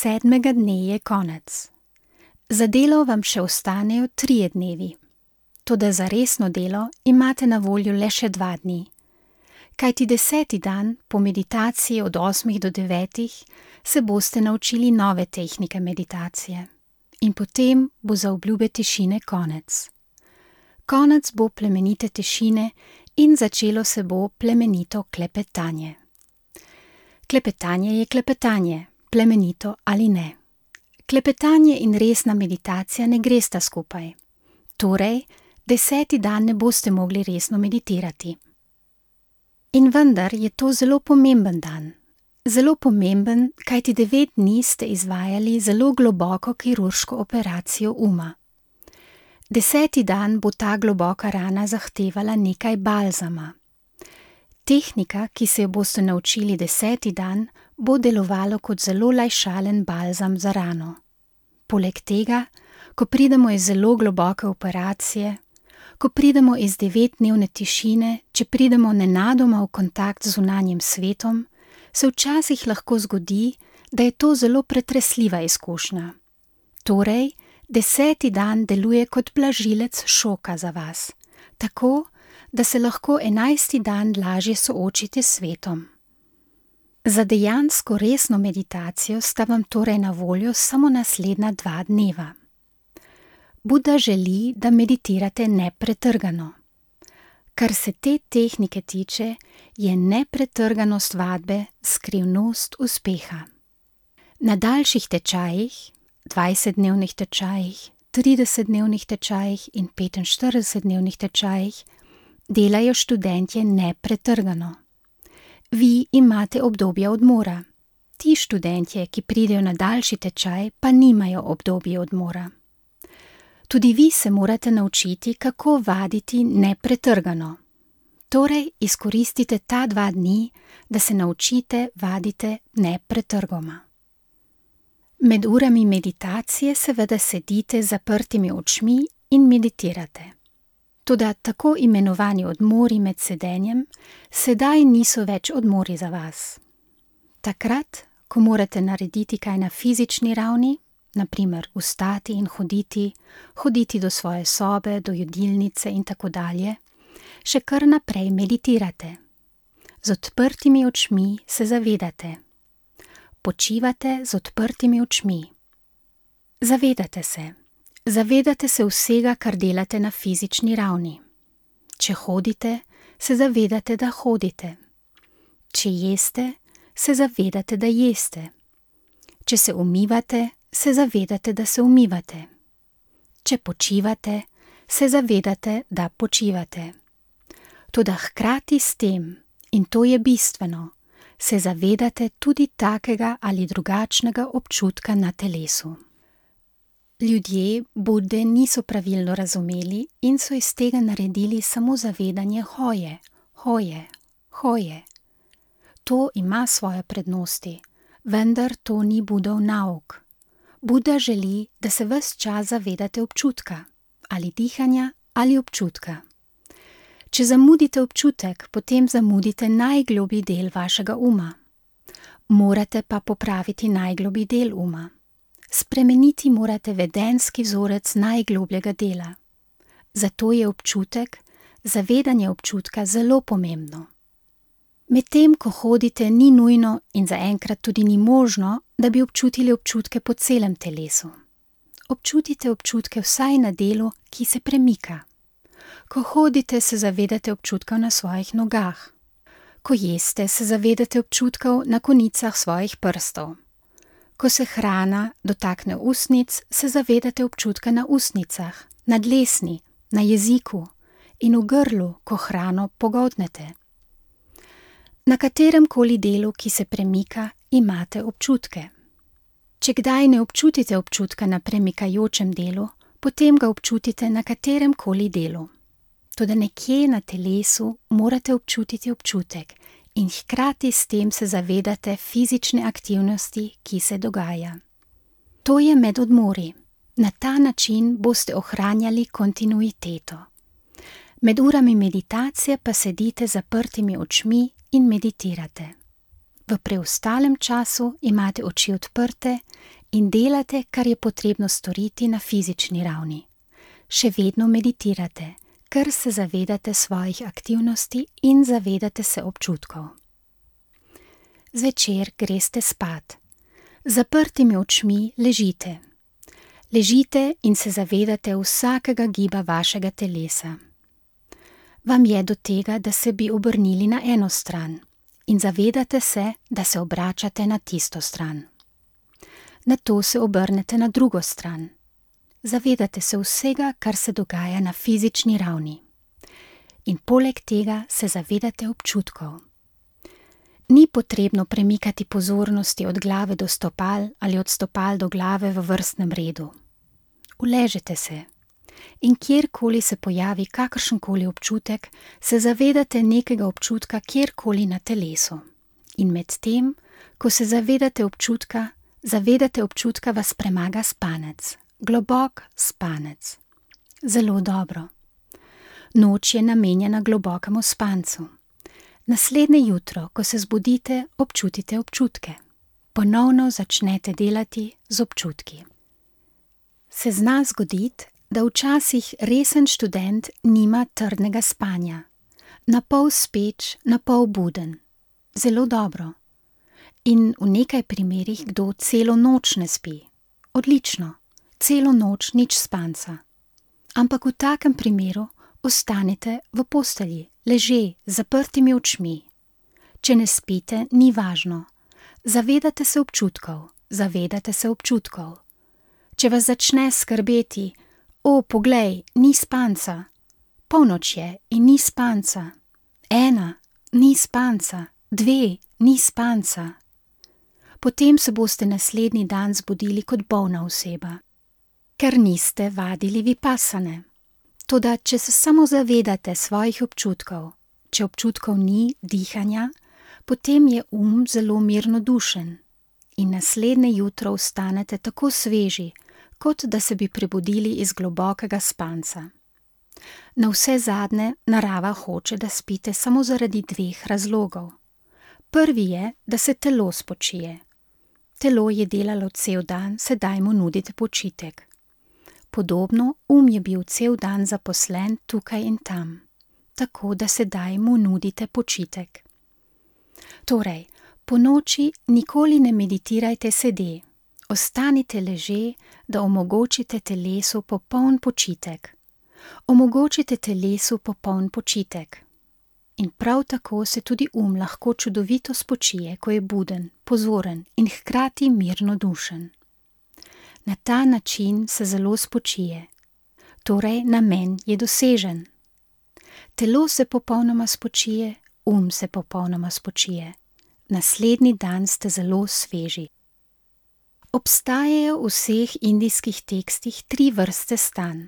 7. dne je konec. Za delo vam še ostanejo 3 dnevi. Toda za resno delo imate na voljo le še 2 dni. Kajti 10. dan po meditaciji od 8 do 9 se boste naučili nove tehnike meditacije. In potem bo za obljube tišine konec. Konec bo plemenite tišine in začelo se bo plemenito klepetanje. Klepetanje je klepetanje, plemenito ali ne. Klepetanje in resna meditacija ne gresta skupaj. Torej, 10. dan ne boste mogli resno meditirati. In vendar je to zelo pomemben dan. Zelo pomemben, kajti 9 dni ste izvajali zelo globoko kirurško operacijo uma. 10. dan bo ta globoka rana zahtevala nekaj balzama. Tehnika, ki se jo boste naučili 10. dan, bo delovalo kot zelo lajšalen balzam za rano. Poleg tega, ko pridemo iz zelo globoke operacije, ko pridemo iz 9-dnevne tišine, če pridemo nenadoma v kontakt z zunanjim svetom, se včasih lahko zgodi, da je to zelo pretresljiva izkušnja. Torej, 10. dan deluje kot blažilec šoka za vas, tako, da se lahko 11. dan lažje soočite s svetom. Za dejansko resno meditacijo sta vam torej na voljo samo naslednja 2 dneva. Buda želi, da meditirate nepretrgano. Kar se te tehnike tiče, je nepretrganost vadbe skrivnost uspeha. Na daljših tečajih, 20-dnevnih tečajih, 30-dnevnih tečajih in 45-dnevnih tečajih, delajo študentje nepretrgano. Vi imate obdobje odmora. Ti študentje, ki pridejo na daljši tečaj, pa nimajo obdobje odmora. Tudi vi se morate naučiti, kako vaditi nepretrgano. Torej, izkoristite ta 2 dni, da se naučite vaditi nepretrgoma. Med urami meditacije seveda sedite z zaprtimi očmi in meditirate. Toda tako imenovani odmori med sedenjem sedaj niso več odmori za vas. Takrat, ko morate narediti kaj na fizični ravni, na primer vstati in hoditi do svoje sobe, do jedilnice in tako dalje, še kar naprej meditirate. Z odprtimi očmi se zavedate. Počivate z odprtimi očmi. Zavedate se vsega, kar delate na fizični ravni. Če hodite, se zavedate, da hodite. Če jeste, se zavedate, da jeste. Če se umivate, se zavedate, da se umivate. Če počivate, se zavedate, da počivate. Toda hkrati s tem, in to je bistveno, se zavedate tudi takega ali drugačnega občutka na telesu. Ljudje Bude niso pravilno razumeli in so iz tega naredili samo zavedanje hoje. To ima svoje prednosti, vendar to ni Budov nauk. Buda želi, da se ves čas zavedate občutka, ali dihanja, ali občutka. Če zamudite občutek, potem zamudite najgloblji del vašega uma. Morate pa popraviti najgloblji del uma. Spremeniti morate vedenjski vzorec najglobljega dela. Zato je občutek, zavedanje občutka zelo pomembno. Medtem, ko hodite, ni nujno in zaenkrat tudi ni možno, da bi občutili občutke po celem telesu. Občutite občutke vsaj na delu, ki se premika. Ko hodite, se zavedate občutkov na svojih nogah. Ko jeste, se zavedate občutkov na konicah svojih prstov. Ko se hrana dotakne ustnic, se zavedate občutka na ustnicah, na dlesni, na jeziku in v grlu, ko hrano pogoltnete. Na katerem koli delu, ki se premika, imate občutke. Če kdaj ne občutite občutka na premikajočem delu, potem ga občutite na katerem koli delu. Toda nekje na telesu morate občutiti občutek in hkrati s tem se zavedate fizične aktivnosti, ki se dogaja. To je med odmori. Na ta način boste ohranjali kontinuiteto. Med urami meditacije pa sedite z zaprtimi očmi in meditirate. V preostalem času imate oči odprte in delate, kar je potrebno storiti na fizični ravni. Še vedno meditirate, ker se zavedate svojih aktivnosti in zavedate se občutkov. Zvečer greste spat. Z zaprtimi očmi ležite. Ležite in se zavedate vsakega giba vašega telesa. Vam je do tega, da se bi obrnili na eno stran in zavedate se, da se obračate na tisto stran. Nato se obrnete na drugo stran. Zavedate se vsega, kar se dogaja na fizični ravni. In poleg tega se zavedate občutkov. Ni potrebno premikati pozornosti od glave do stopal ali od stopal do glave v vrstnem redu. Uležete se in kjerkoli se pojavi kakršenkoli občutek, se zavedate nekega občutka kjerkoli na telesu. In med tem, ko se zavedate občutka, vas premaga spanec. Globok spanec. Zelo dobro. Noč je namenjena globokemu spancu. Naslednje jutro, ko se zbudite, občutite občutke. Ponovno začnete delati z občutki. Se zna zgoditi, da včasih resen študent nima trdnega spanja. Napol speč, napol buden. Zelo dobro. In v nekaj primerih kdo celo noč ne spi. Odlično. Celo noč nič spanca. Ampak v takem primeru ostanite v postelji, leže, z zaprtimi očmi. Če ne spite, ni važno. Zavedate se občutkov. Če vas začne skrbeti, poglej, ni spanca. Polnoč je in ni spanca. 1, ni spanca. 2, ni spanca. Potem se boste naslednji dan zbudili kot bolna oseba, ker niste vadili vipasane. Toda, če se samo zavedate svojih občutkov, če občutkov ni, dihanja, potem je zelo mirnodušen in naslednje jutro vstanete tako sveži, kot da se bi prebudili iz globokega spanca. Navsezadnje narava hoče, da spite samo zaradi 2 razlogov. Prvi je, da se telo spočije. Telo je delalo cel dan, sedaj mu nudite počitek. Podobno je bil cel dan zaposlen tukaj in tam, tako da sedaj mu nudite počitek. Torej, ponoči nikoli ne meditirajte sede, ostanite leže, da omogočite telesu popoln počitek. Omogočite telesu popoln počitek. In prav tako se tudi lahko čudovito spočije, ko je buden, pozoren in hkrati mirnodušen. Na ta način se zelo spočije, torej namen je dosežen. Telo se popolnoma spočije, se popolnoma spočije. Naslednji dan ste zelo sveži. Obstajajo v vseh indijskih tekstih 3 vrste stanj.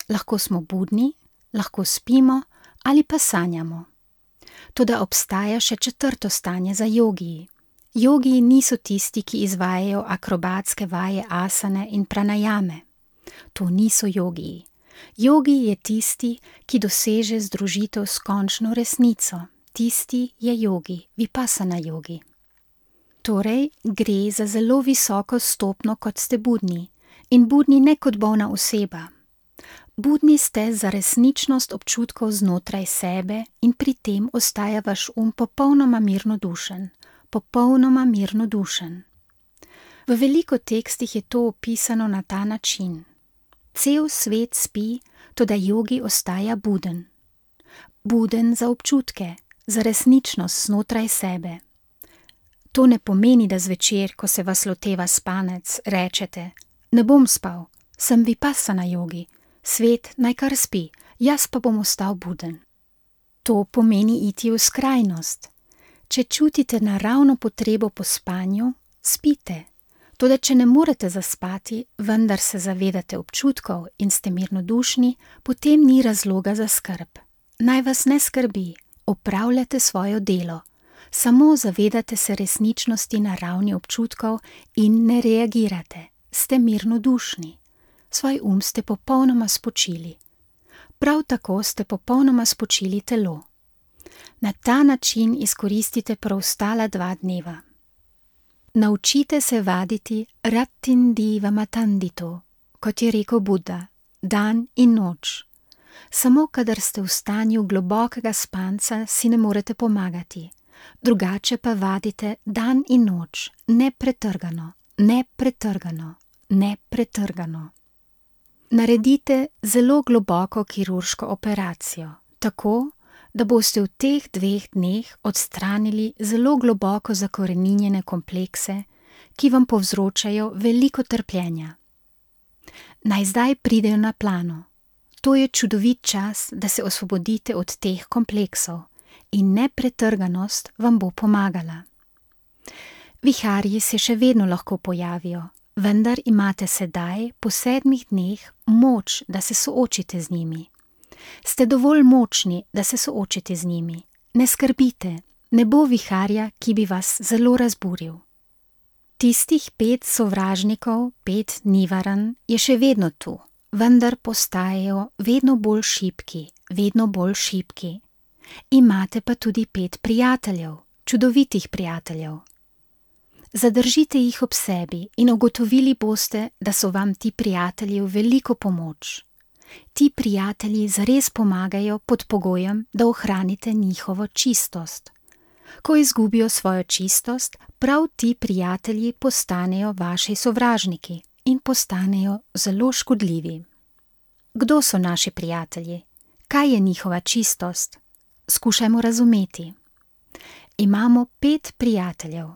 Lahko smo budni, lahko spimo ali pa sanjamo. Toda obstaja še 4. stanje za jogiji. Jogiji niso tisti, ki izvajajo akrobatske vaje asane in pranajame. To niso jogiji. Jogiji je tisti, ki doseže združitev s končno resnico. Tisti je jogi, vipasana jogi. Torej, gre za zelo visoko stopnjo, kot ste budni. In budni ne kot bolna oseba. Budni ste za resničnost občutkov znotraj sebe in pri tem ostaja vaš popolnoma mirnodušen. Popolnoma mirnodušen. V veliko tekstih je to opisano na ta način. Cel svet spi, toda jogi ostaja buden. Buden za občutke, za resničnost znotraj sebe. To ne pomeni, da zvečer, ko se vas loteva spanec, rečete: ne bom spal, sem vipasana jogi, svet naj kar spi, jaz pa bom ostal buden. To pomeni iti v skrajnost. Če čutite naravno potrebo po spanju, spite. Toda če ne morete zaspati, vendar se zavedate občutkov in ste mirnodušni, potem ni razloga za skrb. Naj vas ne skrbi, opravljate svoje delo. Samo zavedate se resničnosti na ravni občutkov in ne reagirate. Ste mirnodušni. Svoj ste popolnoma spočili. Prav tako ste popolnoma spočili telo. Na ta način izkoristite preostala 2 dneva. Naučite se vaditi rattindi vamatandito, kot je rekel Buddha, dan in noč. Samo kadar ste v stanju globokega spanca, si ne morete pomagati. Drugače pa vadite dan in noč, nepretrgano, nepretrgano, nepretrgano. Naredite zelo globoko kirurško operacijo, tako, da boste v teh 2 dneh odstranili zelo globoko zakoreninjene komplekse, ki vam povzročajo veliko trpljenja. Naj zdaj pridejo na plano. To je čudovit čas, da se osvobodite od teh kompleksov in nepretrganost vam bo pomagala. Viharji se še vedno lahko pojavijo, vendar imate sedaj po 7 dneh moč, da se soočite z njimi. Ste dovolj močni, da se soočite z njimi. Ne skrbite, ne bo viharja, ki bi vas zelo razburil. Tistih 5 sovražnikov, 5 nivaran, je še vedno tu, vendar postajajo vedno bolj šibki, vedno bolj šibki. Imate pa tudi 5 prijateljev, čudovitih prijateljev. Zadržite jih ob sebi in ugotovili boste, da so vam ti prijatelji v veliko pomoč. Ti prijatelji zares pomagajo pod pogojem, da ohranite njihovo čistost. Ko izgubijo svojo čistost, prav ti prijatelji postanejo vaši sovražniki in postanejo zelo škodljivi. Kdo so naši prijatelji? Kaj je njihova čistost? Skušajmo razumeti. Imamo 5 prijateljev.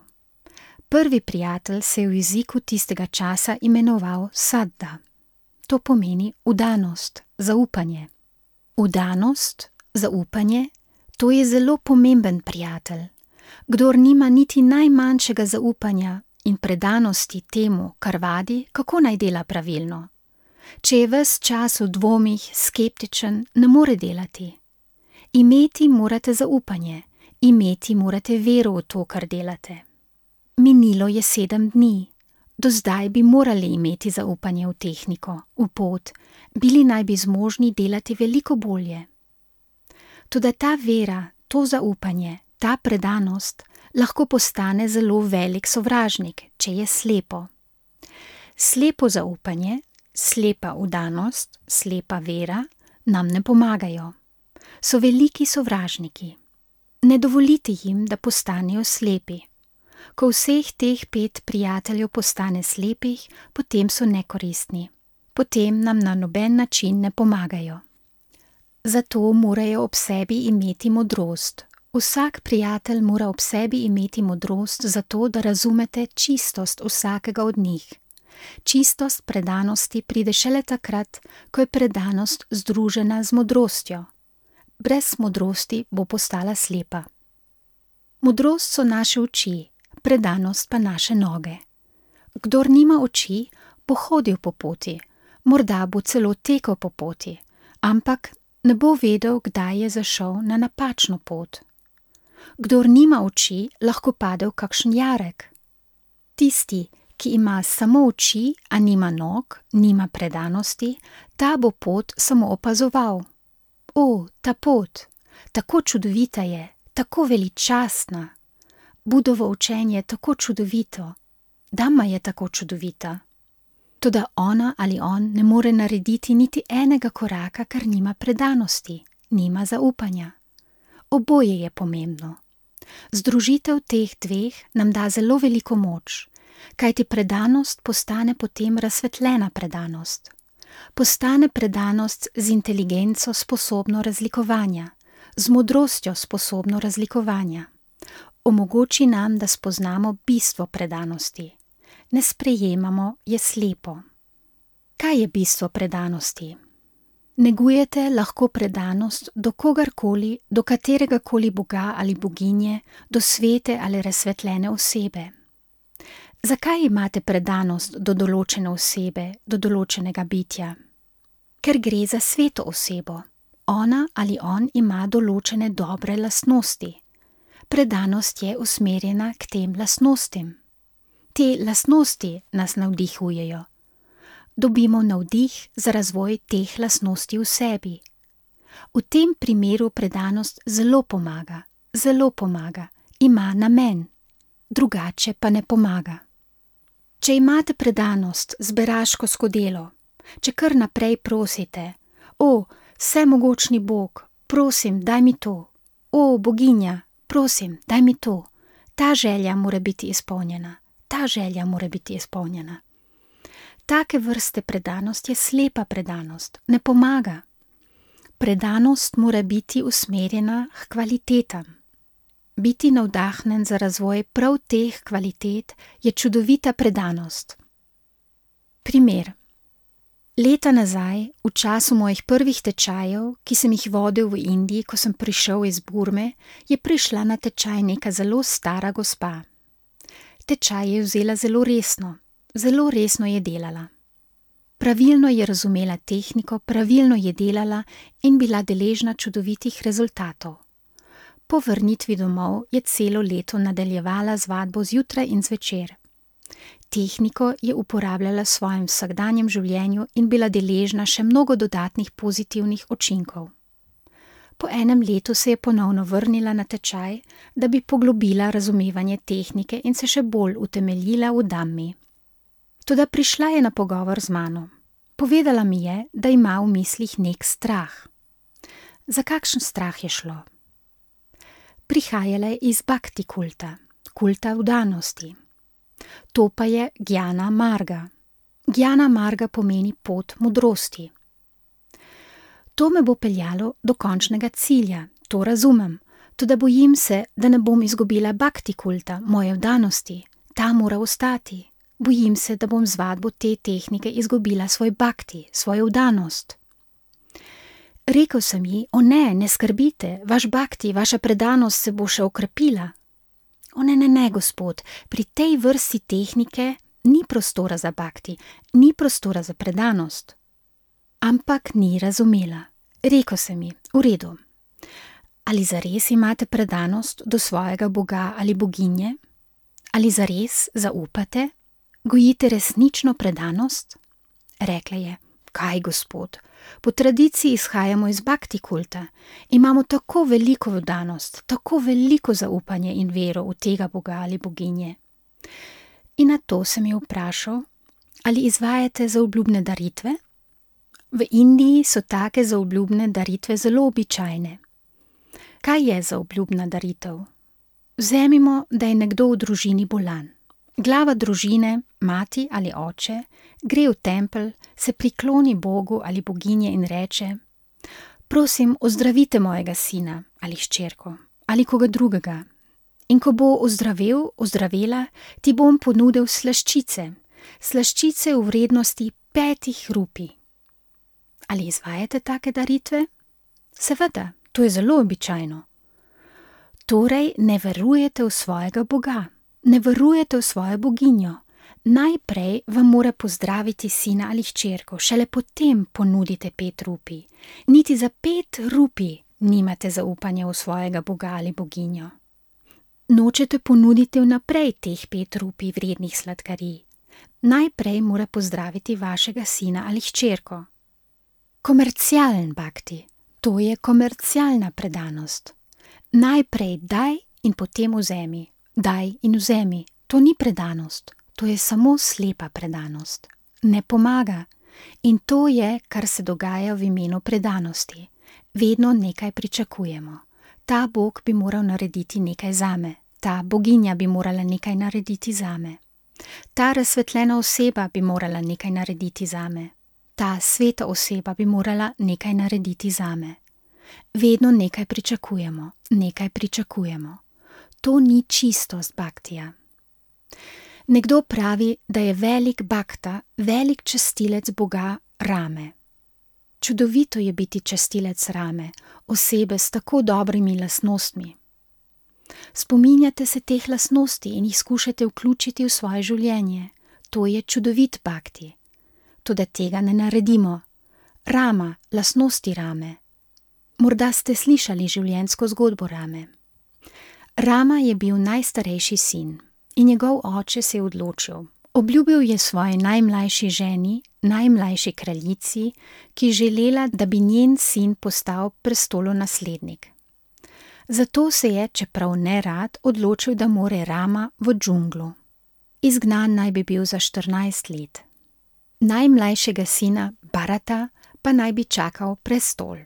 Prvi prijatelj se je v jeziku tistega časa imenoval Saddha. To pomeni vdanost, zaupanje. Vdanost, zaupanje, to je zelo pomemben prijatelj. Kdor nima niti najmanjšega zaupanja in predanosti temu, kar vadi, kako naj dela pravilno. Če je ves čas v dvomih, skeptičen, ne more delati. Imeti morate zaupanje, imeti morate vero v to, kar delate. Minilo je 7 dni. Do zdaj bi morali imeti zaupanje v tehniko, v pot, bili naj bi zmožni delati veliko bolje. Toda ta vera, to zaupanje, ta predanost lahko postane zelo velik sovražnik, če je slepo. Slepo zaupanje, slepa vdanost, slepa vera nam ne pomagajo. So veliki sovražniki. Ne dovolite jim, da postanejo slepi. Ko vseh teh 5 prijateljev postane slepih, potem so nekoristni. Potem nam na noben način ne pomagajo. Zato morajo ob sebi imeti modrost. Vsak prijatelj mora ob sebi imeti modrost zato, da razumete čistost vsakega od njih. Čistost predanosti pride šele takrat, ko je predanost združena z modrostjo. Brez modrosti bo postala slepa. Modrost so naše oči, predanost pa naše noge. Kdor nima oči, bo hodil po poti, morda bo celo tekel po poti, ampak ne bo vedel, kdaj je zašel na napačno pot. Kdor nima oči, lahko pade v kakšen jarek. Tisti, ki ima samo oči, a nima nog, nima predanosti, ta bo pot samo opazoval. O, ta pot, tako čudovita je, tako veličastna. Budovo učenje je tako čudovito, Dhamma je tako čudovita. Toda ona ali on ne more narediti niti enega koraka, ker nima predanosti, nima zaupanja. Oboje je pomembno. Združitev teh 2 nam da zelo veliko moč, kajti predanost postane potem razsvetljena predanost. Postane predanost z inteligenco sposobno razlikovanja, z modrostjo sposobno razlikovanja. Omogoči nam, da spoznamo bistvo predanosti. Ne sprejemamo, je slepo. Kaj je bistvo predanosti? Negujete lahko predanost do kogarkoli, do kateregakoli boga ali boginje, do svete ali razsvetljene osebe. Zakaj imate predanost do določene osebe, do določenega bitja? Ker gre za sveto osebo. Ona ali on ima določene dobre lastnosti. Predanost je usmerjena k tem lastnostim. Te lastnosti nas navdihujejo. Dobimo navdih za razvoj teh lastnosti v sebi. V tem primeru predanost zelo pomaga, ima namen. drugače pa ne pomaga. Če imate predanost, zberaško skodelo, če kar naprej prosite, o, vsemogočni Bog, prosim, daj mi to, o, boginja, prosim, daj mi to, ta želja mora biti izpolnjena, ta želja mora biti izpolnjena. Take vrste predanost je slepa predanost, ne pomaga. Predanost mora biti usmerjena k kvalitetam. Biti navdahnen za razvoj prav teh kvalitet je čudovita predanost. Primer. Leta nazaj, v času mojih prvih tečajev, ki sem jih vodil v Indiji, ko sem prišel iz Burme, je prišla na tečaj neka zelo stara gospa. Tečaj je vzela zelo resno je delala. Pravilno je razumela tehniko, pravilno je delala in bila deležna čudovitih rezultatov. Po vrnitvi domov je celo leto nadaljevala z vadbo zjutraj in zvečer. Tehniko je uporabljala v svojem vsakdanjem življenju in bila deležna še mnogo dodatnih pozitivnih učinkov. Po enem letu se je ponovno vrnila na tečaj, da bi poglobila razumevanje tehnike in se še bolj utemeljila v Dhammi. Toda prišla je na pogovor z mano. Povedala mi je, da ima v mislih nek strah. Za kakšen strah je šlo? Prihajala je iz bhakti kulta, kulta vdanosti. To pa je Gjana Marga. Gjana Marga pomeni pot modrosti. To me bo peljalo do končnega cilja, to razumem, toda bojim se, da ne bom izgubila bhakti kulta, moje vdanosti, ta mora ostati. Bojim se, da bom z vadbo te tehnike izgubila svoj bhakti, svojo vdanost. Rekel sem ji, o ne skrbite, vaš bhakti, vaša predanost se bo še okrepila. O ne, gospod, pri tej vrsti tehnike ni prostora za bhakti, ni prostora za predanost. Ampak ni razumela. Rekel sem ji, v redu. Ali zares imate predanost do svojega boga ali boginje? Ali zares zaupate? Gojite resnično predanost? Rekla je, kaj gospod, po tradiciji izhajamo iz bhakti kulta, imamo tako veliko vdanost, tako veliko zaupanje in vero v tega boga ali boginje. In na to sem jo vprašal, ali izvajate zaobljubne daritve? V Indiji so take zaobljubne daritve zelo običajne. Kaj je zaobljubna daritev? Vzemimo, da je nekdo v družini bolan. Glava družine, mati ali oče, gre v tempelj, se prikloni Bogu ali boginje in reče: prosim, ozdravite mojega sina ali hčerko ali koga drugega. In ko bo ozdravel, ozdravela, ti bom ponudil slaščice v vrednosti 5 rupij. Ali izvajate take daritve? Seveda, to je zelo običajno. Torej ne verujete v svojega boga, ne verujete v svojo boginjo. Najprej vam mora pozdraviti sina ali hčerko, šele potem ponudite 5 rupij. Niti za 5 rupij nimate zaupanja v svojega boga ali boginjo. Nočete ponuditi vnaprej teh 5 rupij vrednih sladkarij. Najprej mora pozdraviti vašega sina ali hčerko. Komercialen bhakti, to je komercialna predanost. Najprej daj in potem vzemi, daj in vzemi, to ni predanost, to je samo slepa predanost. Ne pomaga. In to je, kar se dogaja v imenu predanosti. Vedno nekaj pričakujemo. Ta Bog bi moral narediti nekaj zame, ta boginja bi morala nekaj narediti zame. Ta razsvetljena oseba bi morala nekaj narediti zame. Ta sveta oseba bi morala nekaj narediti zame. Vedno nekaj pričakujemo, nekaj pričakujemo. To ni čistost bhaktija. Nekdo pravi, da je velik bhakta, velik častilec Boga Rame. Čudovito je biti častilec Rame, osebe s tako dobrimi lastnostmi. Spominjate se teh lastnosti in jih skušate vključiti v svoje življenje. To je čudovit bhakti. Toda tega ne naredimo. Rama, lastnosti Rame. Morda ste slišali življenjsko zgodbo Rame. Rama je bil najstarejši sin in njegov oče se je odločil. Obljubil je svoji najmlajši ženi, najmlajši kraljici, ki je želela, da bi njen sin postal prestolonaslednik. Zato se je, čeprav ne rad, odločil, da more Rama v džunglo. Izgnan naj bi bil za 14 let. Najmlajšega sina, Bharata, pa naj bi čakal prestol.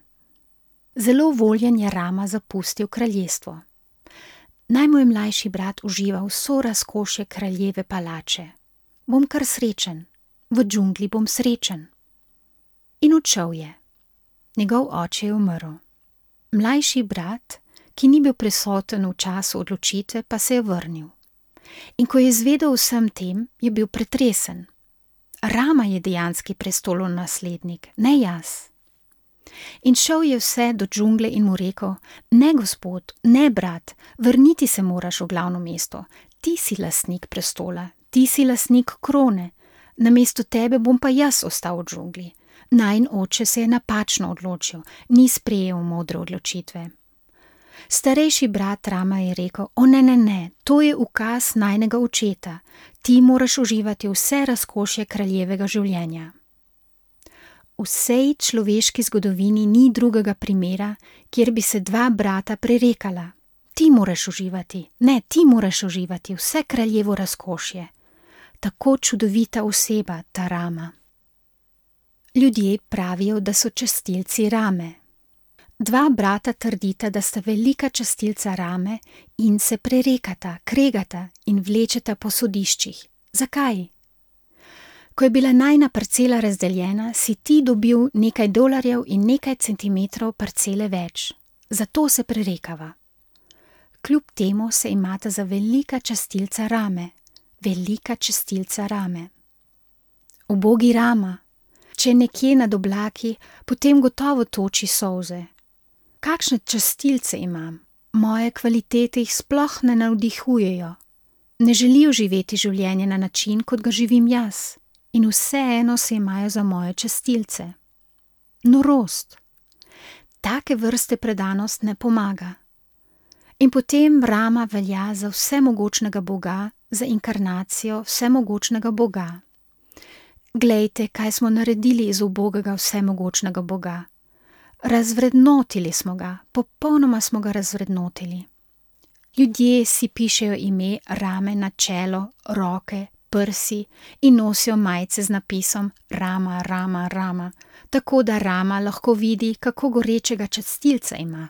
Zelo voljen je Rama zapustil kraljestvo. Naj moj mlajši brat uživa vso razkošje kraljeve palače. Bom kar srečen, v džungli bom srečen. In odšel je. Njegov oče je umrl. Mlajši brat, ki ni bil prisoten v času odločitve, pa se je vrnil. In ko je izvedel vsem tem, je bil pretresen. Rama je dejanski prestolonaslednik, ne jaz. In šel je vse do džungle in mu rekel: ne, gospod, ne, brat, vrniti se moraš v glavno mesto. Ti si lastnik prestola, ti si lastnik krone. Namesto tebe bom pa jaz ostal v džungli. Najin oče se je napačno odločil, ni sprejel modre odločitve. Starejši brat Rama je rekel: o ne, to je ukaz najnega očeta, ti moraš uživati vse razkošje kraljevega življenja. V vsej človeški zgodovini ni drugega primera, kjer bi se dva brata prerekala. Ti moraš uživati vse kraljevo razkošje. Tako čudovita oseba ta Rama. Ljudje pravijo, da so častilci Rame. Dva brata trdita, da sta velika častilca Rame in se prerekata, kregata in vlečeta po sodiščih. Zakaj? Ko je bila najina parcela razdeljena, si ti dobil nekaj dolarjev in nekaj centimetrov parcele več. Zato se prerekava. Kljub temu se imata za velika častilca Rame. Velika častilca Rame. Ubogi Rama, če je nekje nad oblaki, potem gotovo toči solze. Kakšne častilce imam? Moje kvalitete jih sploh ne navdihujejo. Ne želijo živeti življenje na način, kot ga živim jaz. In vseeno se imajo za moje častilce. Norost. Take vrste predanost ne pomaga. In potem Rama velja za vsemogočnega Boga, za inkarnacijo vsemogočnega Boga. Glejte, kaj smo naredili iz ubogega vsemogočnega Boga. Razvrednotili smo ga, popolnoma smo ga razvrednotili. Ljudje si pišejo ime Rame na čelo, roke, prsi in nosijo majice z napisom Rama, Rama, Rama, tako da Rama lahko vidi, kako gorečega častilca ima.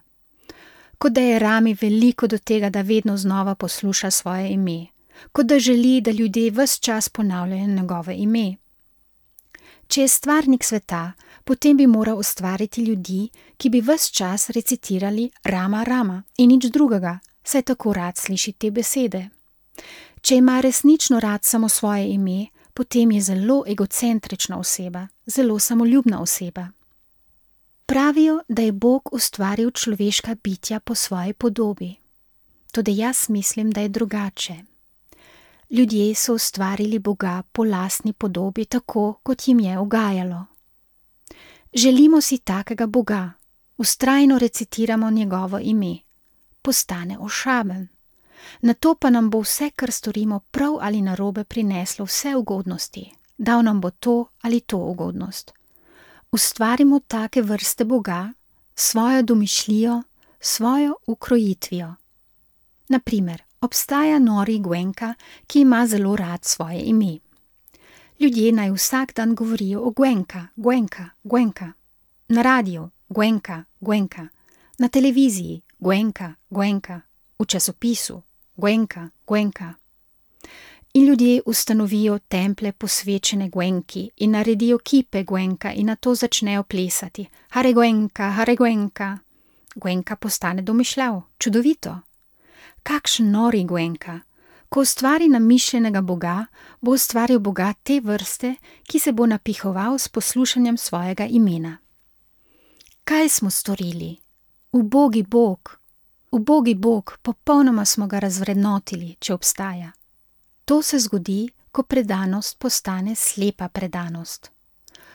Kot da je Rami veliko do tega, da vedno znova posluša svoje ime, kot da želi, da ljudje ves čas ponavljajo njegove ime. Če je stvarnik sveta, potem bi moral ustvariti ljudi, ki bi ves čas recitirali Rama, Rama in nič drugega, saj tako rad sliši te besede. Če ima resnično rad samo svoje ime, potem je zelo egocentrična oseba, zelo samoljubna oseba. Pravijo, da je Bog ustvaril človeška bitja po svoji podobi. Toda jaz mislim, da je drugače. Ljudje so ustvarili Boga po lastni podobi tako, kot jim je ugajalo. Želimo si takega Boga, vztrajno recitiramo njegovo ime. Postane ošaben. Nato pa nam bo vse, kar storimo prav ali narobe, prineslo vse ugodnosti. Dal nam bo to ali to ugodnost. Ustvarimo take vrste Boga, svojo domišljijo, svojo ukrojitvijo. Na primer, obstaja nori Gwenka, ki ima zelo rad svoje ime. Ljudje naj vsak dan govorijo o Gwenka, Gwenka, Gwenka. Na radiju Gwenka, Gwenka. Na televiziji Gwenka, Gwenka. V časopisu Gwenka, Gwenka. In ljudje ustanovijo templje posvečene Gwenki in naredijo kipe Gwenka in nato začnejo plesati. Hare Gwenka, Hare Gwenka. Gwenka postane domišljav, čudovito. Kakšen nori Gwenka. Ko ustvari namišljenega Boga, bo ustvaril Boga te vrste, ki se bo napihoval s poslušanjem svojega imena. Kaj smo storili? Ubogi Bog. Ubogi Bog, popolnoma smo ga razvrednotili, če obstaja. To se zgodi, ko predanost postane slepa predanost.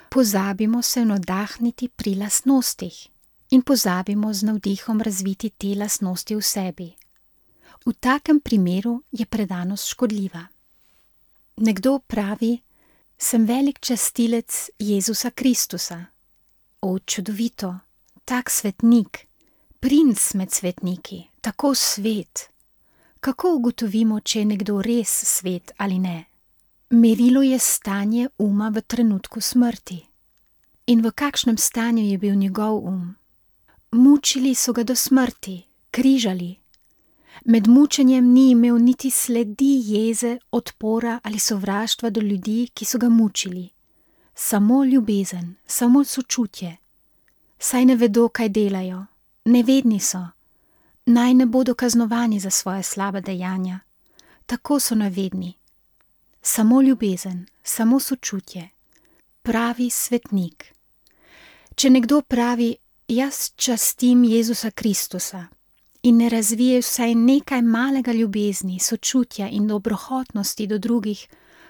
Pozabimo se navdahniti pri lastnostih in pozabimo z navdihom razviti te lastnosti v sebi. V takem primeru je predanost škodljiva. Nekdo pravi, sem velik častilec Jezusa Kristusa. O, čudovito, tak svetnik, princ med svetniki, tako svet. Kako ugotovimo, če je nekdo res svet ali ne? Merilo je stanje uma v trenutku smrti. In v kakšnem stanju je bil njegov um? Mučili so ga do smrti, križali. Med mučenjem ni imel niti sledi jeze, odpora ali sovraštva do ljudi, ki so ga mučili. Samo ljubezen, samo sočutje. Saj ne vedo, kaj delajo. Nevedni so. Naj ne bodo kaznovani za svoje slabe dejanja. Tako so nevedni. Samo ljubezen, samo sočutje. Pravi svetnik. Če nekdo pravi, jaz častim Jezusa Kristusa in ne razvije vsaj nekaj malega ljubezni, sočutja in dobrohotnosti do drugih,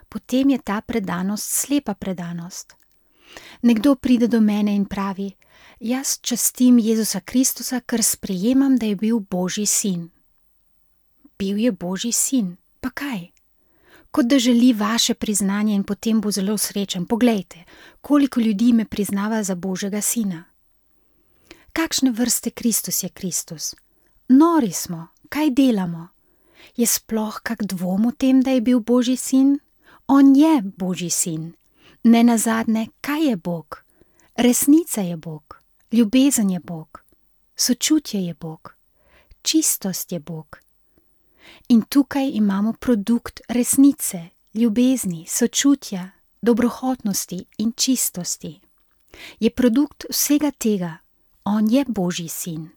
potem je ta predanost slepa predanost. Nekdo pride do mene in pravi, jaz častim Jezusa Kristusa, ker sprejemam, da je bil Božji sin. Bil je Božji sin, pa kaj? Kot da želi vaše priznanje in potem bo zelo srečen. Poglejte, koliko ljudi me priznava za Božjega sina. Kakšne vrste Kristus je Kristus? Nori smo, kaj delamo? Je sploh kak dvom o tem, da je bil Božji sin? On je Božji sin. Nenazadnje, kaj je Bog? Resnica je Bog, ljubezen je Bog, sočutje je Bog, čistost je Bog. In tukaj imamo produkt resnice, ljubezni, sočutja, dobrohotnosti in čistosti. Je produkt vsega tega. On je Božji sin.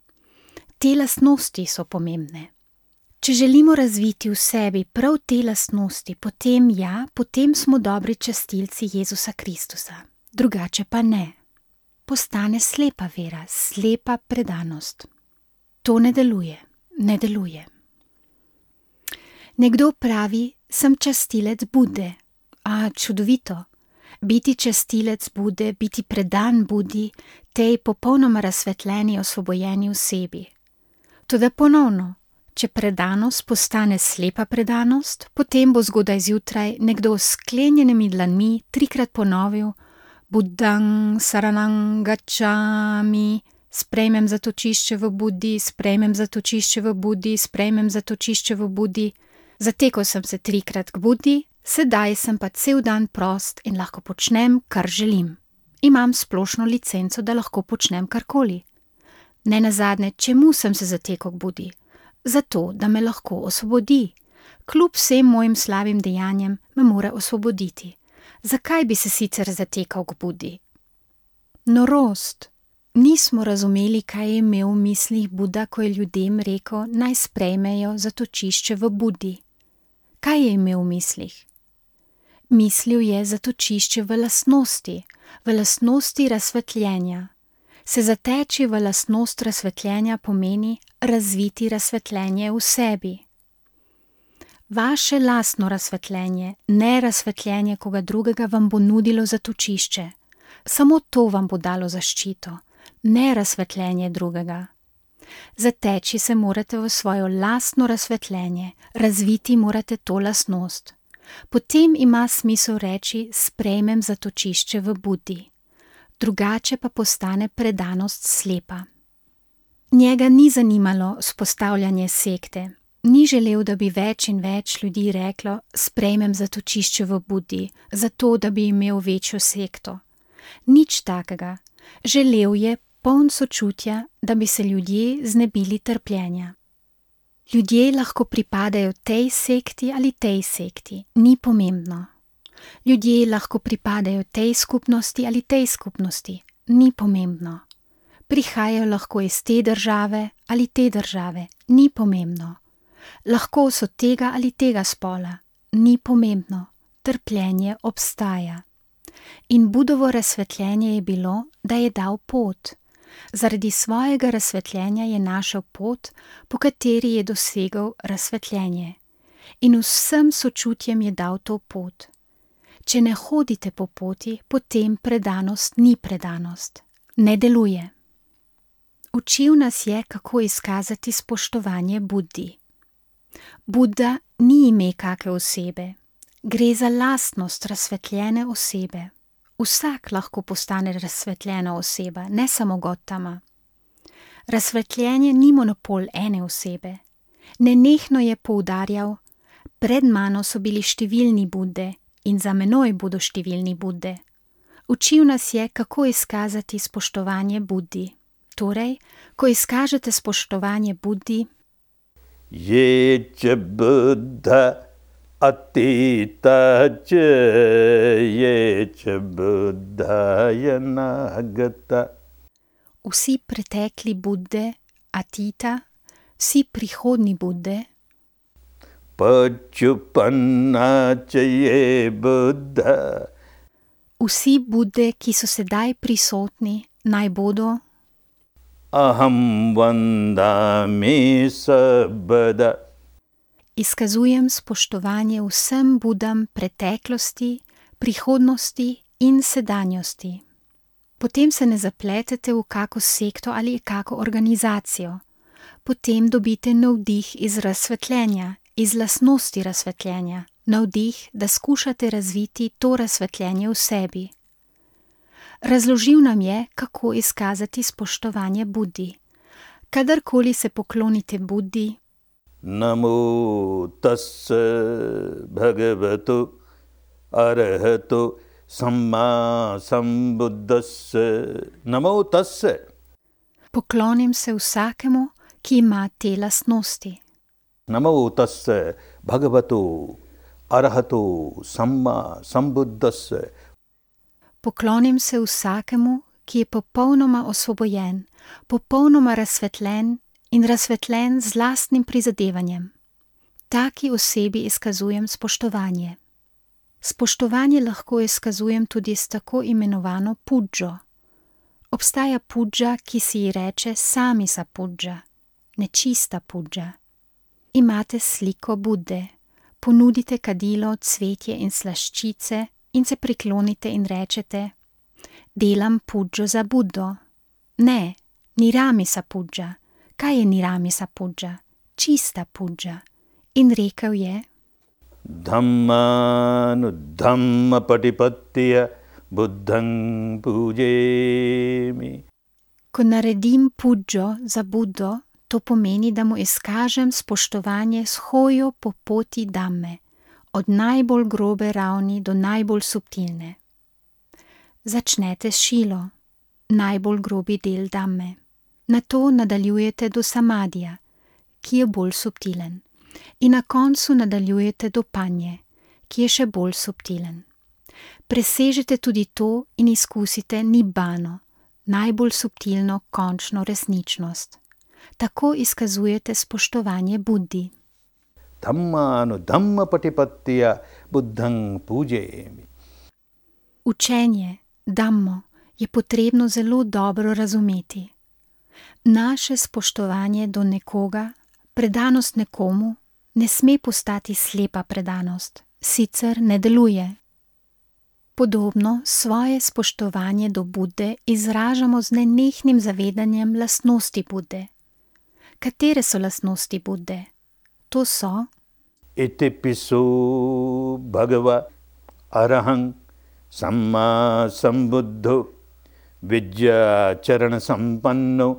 Te lastnosti so pomembne. Če želimo razviti v sebi prav te lastnosti, potem smo dobri častilci Jezusa Kristusa. Drugače pa ne. Postane slepa vera, slepa predanost. To ne deluje. Nekdo pravi, sem častilec Bude. Čudovito. Biti častilec Bude, biti predan Budi, tej popolnoma razsvetljeni, osvobojeni osebi. Toda ponovno, če predanost postane slepa predanost, potem bo zgodaj zjutraj nekdo s sklenjenimi dlanmi 3-krat ponovil Buddhang saranang gacchami, sprejmem zatočišče v Budi, sprejmem zatočišče v Budi, sprejmem zatočišče v Budi. Zatekel sem se 3-krat k Budi, sedaj sem pa cel dan prost in lahko počnem, kar želim. Imam splošno licenco, da lahko počnem karkoli. Nenazadnje, čemu sem se zatekel k Budi? Zato, da me lahko osvobodi. Kljub vsem mojim slabim dejanjem me mora osvoboditi. Zakaj bi se sicer zatekal k Budi? Norost. Nismo razumeli, kaj je imel v mislih Buda, ko je ljudem rekel, naj sprejmejo zatočišče v Budi. Kaj je imel v mislih? Mislil je zatočišče v lastnosti razsvetljenja. Se zateči v lastnost razsvetljenja pomeni razviti razsvetljenje v sebi. Vaše lastno razsvetljenje, ne razsvetljenje koga drugega, vam bo nudilo zatočišče. Samo to vam bo dalo zaščito, ne razsvetljenje drugega. Zateči se morate v svojo lastno razsvetljenje, razviti morate to lastnost. Potem ima smisel reči, sprejmem zatočišče v Budi. Drugače pa postane predanost slepa. Njega ni zanimalo vzpostavljanje sekte. Ni želel, da bi več in več ljudi reklo, sprejmem zatočišče v Budi, zato da bi imel večjo sekto. Nič takega. Želel je, poln sočutja, da bi se ljudje znebili trpljenja. Ljudje lahko pripadajo tej sekti ali tej sekti, ni pomembno. Ljudje lahko pripadajo tej skupnosti ali tej skupnosti, ni pomembno. Prihajajo lahko iz te države ali te države, ni pomembno. Lahko so tega ali tega spola, ni pomembno. Trpljenje obstaja. In Budovo razsvetljenje je bilo, da je dal pot. Zaradi svojega razsvetljenja je našel pot, po kateri je dosegel razsvetljenje. In vsem sočutjem je dal to pot. Če ne hodite po poti, potem predanost ni predanost. Ne deluje. Učil nas je, kako izkazati spoštovanje Budi. Buda ni ime kake osebe. Gre za lastnost razsvetljene osebe. Vsak lahko postane razsvetljena oseba, ne samo Gotama. Razsvetljenje ni monopol ene osebe. Nenehno je poudarjal: pred mano so bili številni Budde in za menoj bodo številni Budde. Učil nas je, kako izkazati spoštovanje Buddi. Torej, ko izkažete spoštovanje Buddi, Je č Buddha atita č, je č Buddha yanagata. Vsi pretekli Budde, atita, vsi prihodni Budde, Pačupanna č je Buddha. Vsi Budde, ki so sedaj prisotni, naj bodo, Aham vandami sabada. izkazujem spoštovanje vsem Budam preteklosti, prihodnosti in sedanjosti. Potem se ne zapletete v kako sekto ali kako organizacijo. Potem dobite navdih iz razsvetljenja, iz lastnosti razsvetljenja, navdih, da skušate razviti to razsvetljenje v sebi. Razložil nam je, kako izkazati spoštovanje Buddi. Kadarkoli se poklonite Buddi, Namo tassa bhagavato arahato samma sambuddhassa. Namo tassa. poklonim se vsakemu, ki ima te lastnosti. Namo tassa bhagavato arahato samma sambuddhassa. Poklonim se vsakemu, ki je popolnoma osvobojen, popolnoma razsvetljen in razsvetljen z lastnim prizadevanjem. Taki osebi izkazujem spoštovanje. Spoštovanje lahko izkazujem tudi s tako imenovano pudžo. Obstaja pudža, ki si ji reče samisa pudža, nečista pudža. Imate sliko Budde, ponudite kadilo, cvetje in slaščice in se priklonite in rečete: delam pudžo za Buddo. Ne, niramisa pudža. Kaj je niramisa pudža? Čista pudža. In rekel je: Dhammanu dhamma patipattiya buddhang pujemi. ko naredim pudžo za Buddo, to pomeni, da mu izkažem spoštovanje s hojo po poti Dhamme, od najbolj grobe ravni do najbolj subtilne. Začnete s šilo, najbolj grobi del Dhamme. Nato nadaljujete do samadija, ki je bolj subtilen. In na koncu nadaljujete do panje, ki je še bolj subtilen. Presežete tudi to in izkusite nibbano, najbolj subtilno končno resničnost. Tako izkazujete spoštovanje Buddi. Dhammanu dhamma patipattiya buddhang pujemi. Učenje, Dhammo, je potrebno zelo dobro razumeti. Naše spoštovanje do nekoga, predanost nekomu, ne sme postati slepa predanost, sicer ne deluje. Podobno svoje spoštovanje do Budde izražamo z nenehnim zavedanjem lastnosti Budde. Katere so lastnosti Budde? To so: Itipiso bhagava arahang samma sambuddho vidya charana sampanno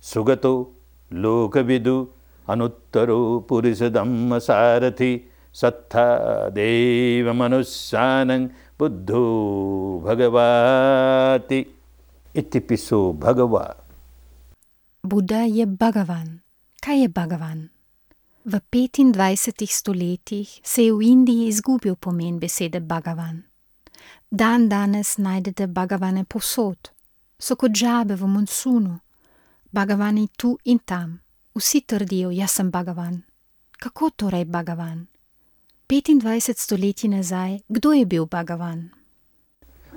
sugato lokavidu anuttaro purisa dhamma sarathi sattha deva manussanang buddho bhagavati. Itipiso bhagava. Buddha je Bhagavan. Kaj je Bhagavan? V 25 stoletjih se je v Indiji izgubil pomen besede Bhagavan. Dan danes najdete Bhagavane povsod. So kot žabe v monsunu. Bhagavani tu in tam. Vsi trdijo: jaz sem Bhagavan. Kako torej Bhagavan? 25 stoletij nazaj, kdo je bil Bhagavan?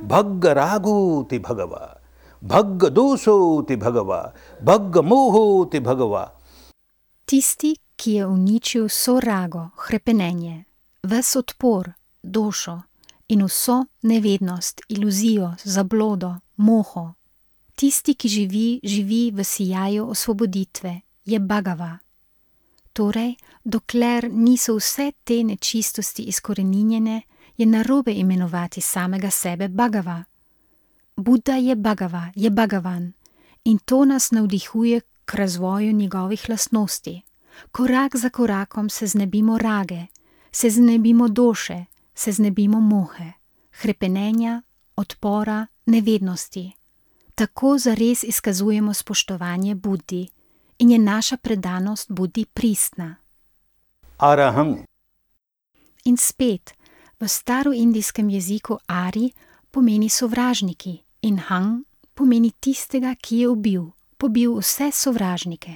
Bhagga rago ti bhagava, bhagga doso ti bhagava, bhagga moho ti bhagava. Tisti, ki je uničil vso rago, hrepenenje, ves odpor, došo in vso nevednost, iluzijo, zablodo, moho. Tisti, ki živi v sijaju osvoboditve, je Bhagava. Torej, dokler niso vse te nečistosti izkoreninjene, je narobe imenovati samega sebe Bhagava. Buddha je Bhagava, je Bhagavan in to nas navdihuje k razvoju njegovih lastnosti. Korak za korakom se znebimo rage, se znebimo doše, se znebimo mohe, hrepenenja, odpora, nevednosti. Tako zares izkazujemo spoštovanje Buddi in je naša predanost Buddi pristna. Arahang. In spet, v staroindijskem jeziku Ari pomeni sovražniki in Hang pomeni tistega, ki je pobil vse sovražnike.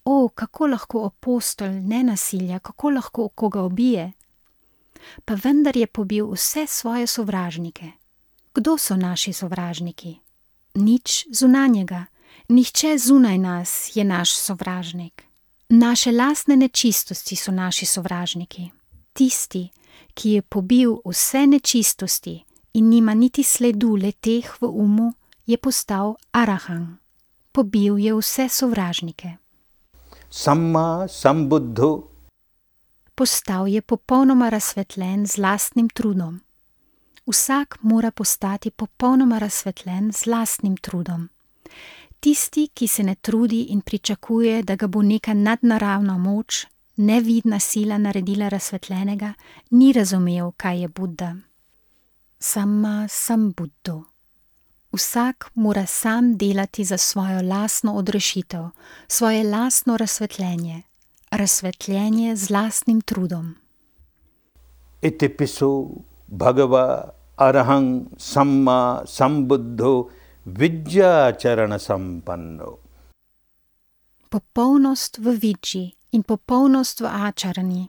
O, kako lahko apostol nenasilja, kako lahko koga ubije? Pa vendar je pobil vse svoje sovražnike. Kdo so naši sovražniki? Nič zunanjega, nihče zunaj nas je naš sovražnik. Naše lastne nečistosti so naši sovražniki. Tisti, ki je pobil vse nečistosti in nima niti sledu le-teh v umu, je postal arahang. Pobil je vse sovražnike. Samma sambuddho. Postal je popolnoma razsvetljen z lastnim trudom. Vsak mora postati popolnoma razsvetljen z lastnim trudom. Tisti, ki se ne trudi in pričakuje, da ga bo neka nadnaravna moč, nevidna sila naredila razsvetljenega, ni razumel, kaj je Buddha. Samma sambuddho. Vsak mora sam delati za svojo lastno odrešitev, svoje lastno razsvetljenje, razsvetljenje z lastnim trudom. Itipiso bhagava arahang samma sambuddho vidyačarana sampanno. Popolnost v vidži in popolnost v ačarani.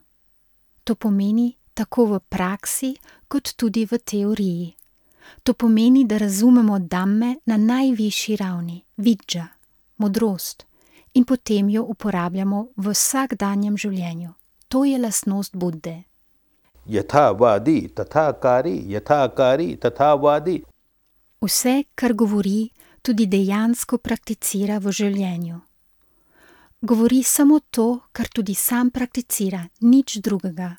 To pomeni tako v praksi, kot tudi v teoriji. To pomeni, da razumemo dhamme na najvišji ravni, vidža, modrost, in potem jo uporabljamo v vsakdanjem življenju. To je lastnost Budde. Yatha vadi tatha kari, yatha kari tatha vadi. Vse, kar govori, tudi dejansko prakticira v življenju. Govori samo to, kar tudi sam prakticira, nič drugega.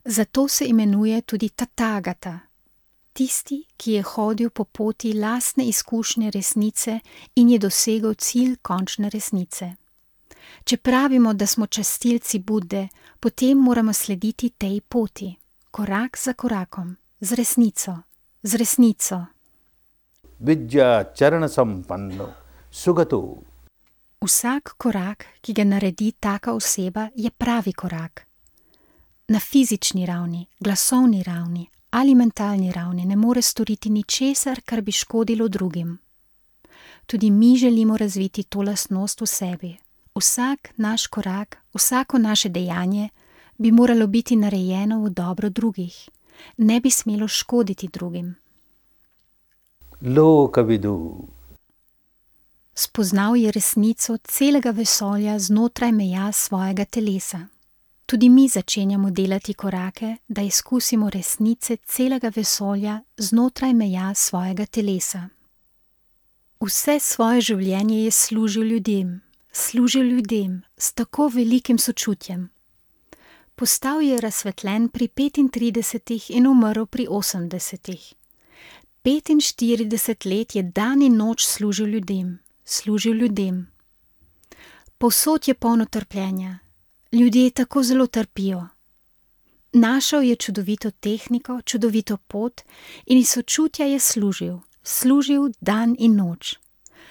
Zato se imenuje tudi Tathagata. Tisti, ki je hodil po poti lastne izkušnje resnice in je dosegel cilj končne resnice. Če pravimo, da smo častilci Budde, potem moramo slediti tej poti, korak za korakom, z resnico. Vidyačarana sampanno, sugato. Vsak korak, ki ga naredi taka oseba, je pravi korak. Na fizični ravni, glasovni ravni ali mentalni ravni ne more storiti ničesar, kar bi škodilo drugim. Tudi mi želimo razviti to lastnost v sebi. Vsak naš korak, vsako naše dejanje bi moralo biti narejeno v dobro drugih. Ne bi smelo škoditi drugim. Lokavidu. Spoznal je resnico celega vesolja znotraj meja svojega telesa. Tudi mi začenjamo delati korake, da izkusimo resnice celega vesolja znotraj meja svojega telesa. Vse svoje življenje je služil ljudem s tako velikim sočutjem. Postal je razsvetljen pri 35 in umrl pri 80. 45 let je dan in noč služil ljudem. Povsod je polno trpljenja. Ljudje tako zelo trpijo. Našel je čudovito tehniko, čudovito pot in iz sočutja je služil dan in noč.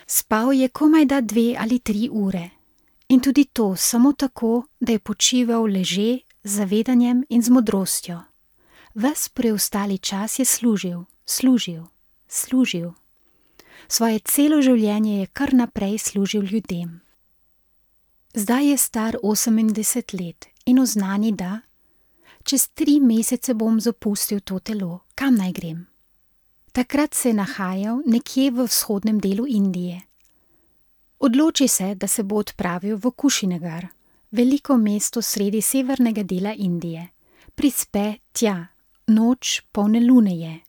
Spal je komajda 2 ali 3 ure. In tudi to samo tako, da je počival leže z zavedanjem in z modrostjo. Ves preostali čas je služil. Svoje celo življenje je kar naprej služil ljudem. Zdaj je star 80 let in oznani, da čez 3 mesece bom zapustil to telo, kam naj grem? Takrat se je nahajal nekje v vzhodnem delu Indije. Odloči se, da se bo odpravil v Kušinagar, veliko mesto sredi severnega dela Indije. Prispe tja, noč polne lune je.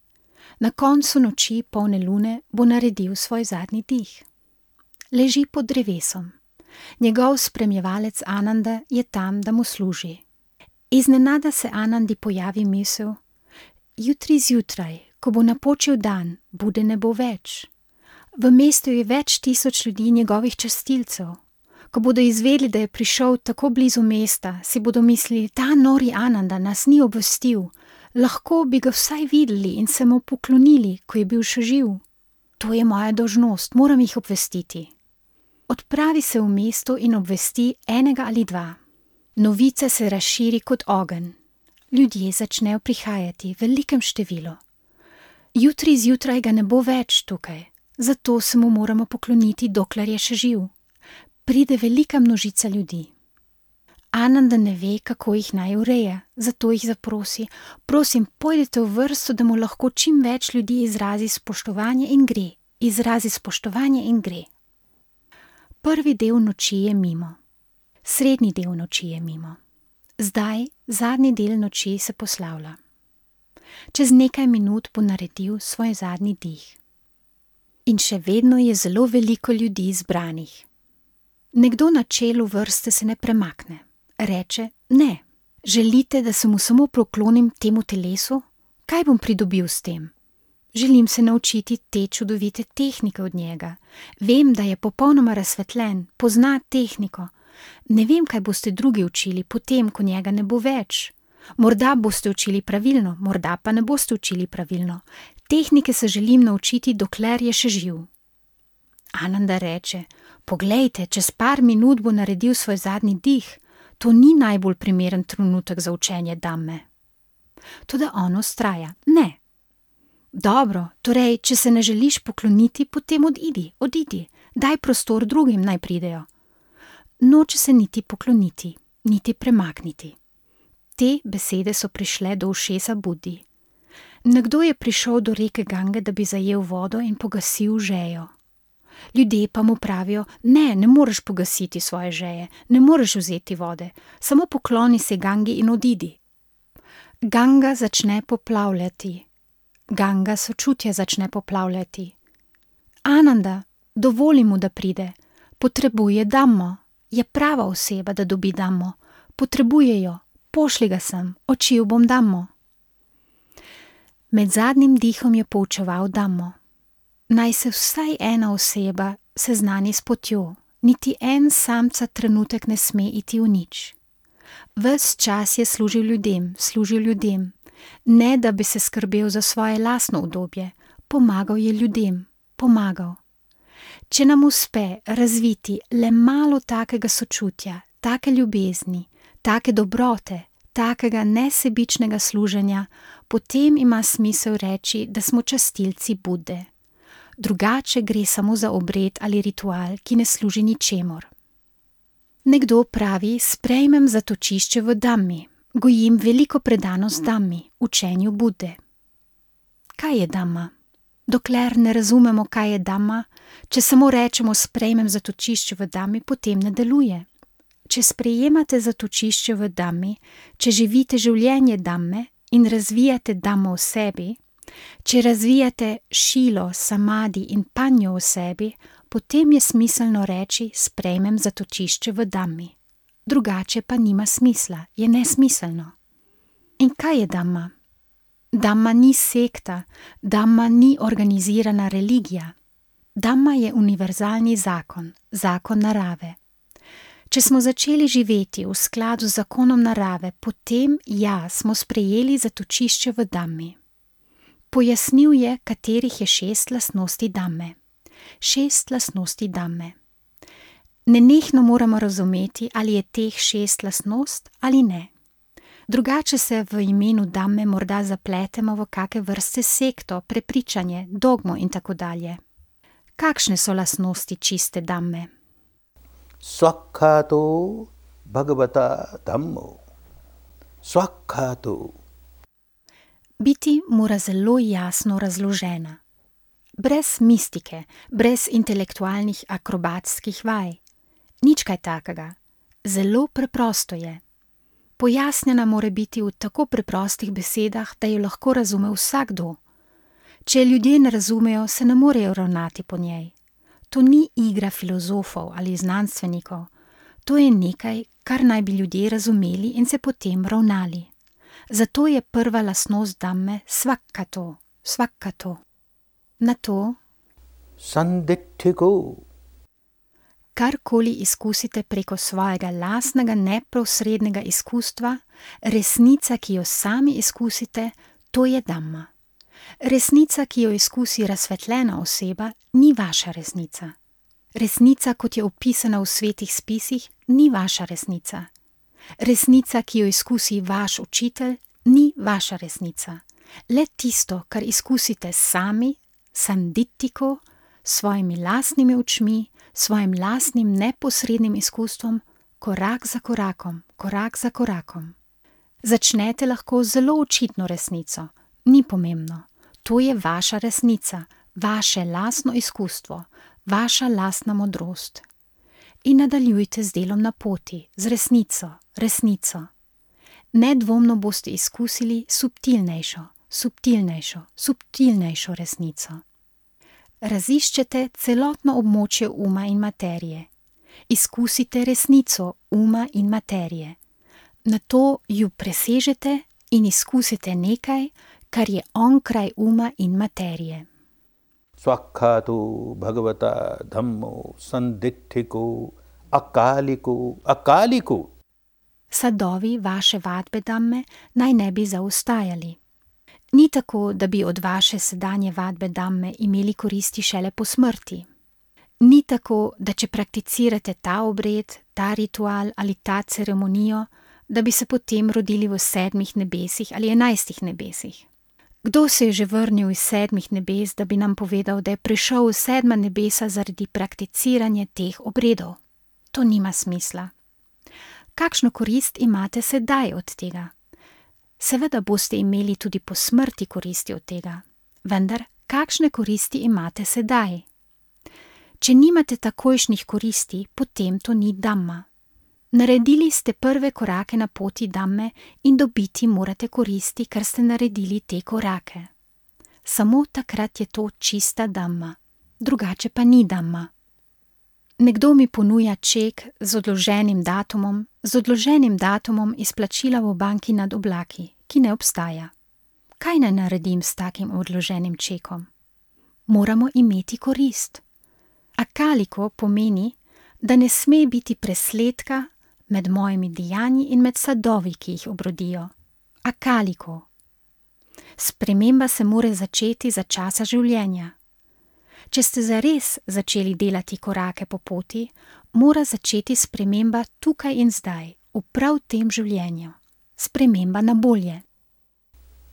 Na koncu noči polne lune bo naredil svoj zadnji dih. Leži pod drevesom. Njegov spremljevalec Ananda je tam, da mu služi. Iznenada se Anandi pojavi misel: jutri zjutraj, ko bo napočil dan, Bude ne bo več. V mestu je več tisoč ljudi njegovih častilcev. Ko bodo izvedeli, da je prišel tako blizu mesta, si bodo mislili, ta nori Ananda nas ni obvestil, lahko bi ga vsaj videli in se mu poklonili, ko je bil še živ. To je moja dolžnost, moram jih obvestiti. Odpravi se v mesto in obvesti enega ali dva. Novica se razširi kot ogenj. Ljudje začnejo prihajati v velikem številu. Jutri zjutraj ga ne bo več tukaj, zato se mu moramo pokloniti, dokler je še živ. Pride velika množica ljudi. Ananda ne ve, kako jih naj ureja, zato jih zaprosi, prosim, pojdite v vrsto, da mu lahko čim več ljudi izrazi spoštovanje in gre. Izrazi spoštovanje in gre. Prvi del noči je mimo. Srednji del noči je mimo. Zdaj, zadnji del noči se poslavlja. Čez nekaj minut bo naredil svoj zadnji dih. In še vedno je zelo veliko ljudi zbranih. Nekdo na čelu vrste se ne premakne. Reče, ne, želite, da se mu samo proklonim temu telesu? Kaj bom pridobil s tem? Želim se naučiti te čudovite tehnike od njega. Vem, da je popolnoma razsvetljen, pozna tehniko. Ne vem, kaj boste drugi učili, potem, ko njega ne bo več. Morda boste učili pravilno, morda pa ne boste učili pravilno. Tehnike se želim naučiti, dokler je še živ. Ananda reče, poglejte, čez par minut bo naredil svoj zadnji dih. To ni najbolj primeren trenutek za učenje Dhamme. Toda on vztraja, ne. Dobro, torej, če se ne želiš pokloniti, potem odidi, daj prostor drugim naj pridejo. Noče se niti pokloniti, niti premakniti. Te besede so prišle do ušesa Budi. Nekdo je prišel do reke Gange, da bi zajel vodo in pogasil žejo. Ljudje pa mu pravijo, ne moreš pogasiti svoje žeje, ne moreš vzeti vode, samo pokloni se Gangi in odidi. Ganga začne poplavljati. Ganga sočutja začne poplavljati. Ananda, dovoli mu, da pride. Potrebuje Dhammo. Je prava oseba, da dobi Dhammo. Potrebuje jo. Pošli ga sem. Učil bom Dhammo. Med zadnjim dihom je poučeval Dhammo. Naj se vsaj ena oseba seznani s potjo. Niti en samca trenutek ne sme iti v nič. Ves čas je služil ljudem. Ne, da bi se skrbel za svoje lastno udobje, pomagal je ljudem, pomagal. Če nam uspe razviti le malo takega sočutja, take ljubezni, take dobrote, takega nesebičnega služenja, potem ima smisel reči, da smo častilci Bude. Drugače gre samo za obred ali ritual, ki ne služi ničemur. Nekdo pravi, sprejmem zatočišče v Dhammi. Gojim veliko predanost Dhammi, učenju Bude. Kaj je Dhamma? Dokler ne razumemo, kaj je Dhamma, če samo rečemo sprejmem zatočišče v Dhammi, potem ne deluje. Če sprejemate zatočišče v Dhammi, če živite življenje Dhamme in razvijate Dhammo v sebi, če razvijate šilo, samadi in panjo v sebi, potem je smiselno reči sprejmem zatočišče v Dhammi. Drugače pa nima smisla, je nesmiselno. In kaj je Dhamma? Dhamma ni sekta, Dhamma ni organizirana religija. Dhamma je univerzalni zakon, zakon narave. Če smo začeli živeti v skladu z zakonom narave, potem smo sprejeli zatočišče v Dhammi. Pojasnil je, katerih je 6 lastnosti Dhamme. 6 lastnosti Dhamme. Nenehno moramo razumeti, ali je teh 6 lastnost ali ne. Drugače se v imenu Dhamme morda zapletemo v kake vrste sekto, prepričanje, dogmo in tako dalje. Kakšne so lastnosti čiste Dhamme? Svakhato bhagavata Dhammo. Svakhato. Biti mora zelo jasno razložena. Brez mistike, brez intelektualnih akrobatskih vaj. Nič kaj takega. Zelo preprosto je. Pojasnjena mora biti v tako preprostih besedah, da jo lahko razume vsakdo. Če ljudje ne razumejo, se ne morejo ravnati po njej. To ni igra filozofov ali znanstvenikov. To je nekaj, kar naj bi ljudje razumeli in se potem ravnali. Zato je prva lastnost Dhamme svakhato, svakhato. Na to sanditthiko. Karkoli izkusite preko svojega lastnega neposrednega izkustva, resnica, ki jo sami izkusite, to je Dhamma. Resnica, ki jo izkusi razsvetljena oseba, ni vaša resnica. Resnica, kot je opisana v svetih spisih, ni vaša resnica. Resnica, ki jo izkusi vaš učitelj, ni vaša resnica. Le tisto, kar izkusite sami, sanditthiko, svojimi lastnimi očmi, svojim lastnim neposrednim izkustvom, korak za korakom. Začnete lahko z zelo očitno resnico, ni pomembno. To je vaša resnica, vaše lastno izkustvo, vaša lastna modrost. In nadaljujte z delom na poti, z resnico. Nedvomno boste izkusili subtilnejšo resnico. Raziščete celotno območje uma in materije. Izkusite resnico uma in materije. Nato ju presežete in izkusite nekaj, kar je onkraj uma in materije. Svakkhato bhagavata dhammo sanditthiko akaliko. Sadovi vaše vadbe Dhamme naj ne bi zaostajali. Ni tako, da bi od vaše sedanje vadbe Dhamme imeli koristi šele po smrti. Ni tako, da če prakticirate ta obred, ta ritual ali ta ceremonijo, da bi se potem rodili v 7 nebesih ali 11 nebesih. Kdo se je že vrnil iz 7 nebes, da bi nam povedal, da je prišel v 7 nebesa zaradi prakticiranja teh obredov? To nima smisla. Kakšno korist imate sedaj od tega? Seveda boste imeli tudi po smrti koristi od tega, vendar kakšne koristi imate sedaj? Če nimate takojšnjih koristi, potem to ni Dhamma. Naredili ste prve korake na poti Dhamme in dobiti morate koristi, ker ste naredili te korake. Samo takrat je to čista Dhamma, drugače pa ni Dhamma. Nekdo mi ponuja ček z odloženim datumom izplačila v banki nad oblaki, ki ne obstaja. Kaj naj naredim s takim odloženim čekom? Moramo imeti korist. Akaliko pomeni, da ne sme biti presledka med mojimi dejanji in med sadovi, ki jih obrodijo. Akaliko. Sprememba se mora začeti za časa življenja. Če ste zares začeli delati korake po poti, mora začeti sprememba tukaj in zdaj, v prav tem življenju. Sprememba na bolje.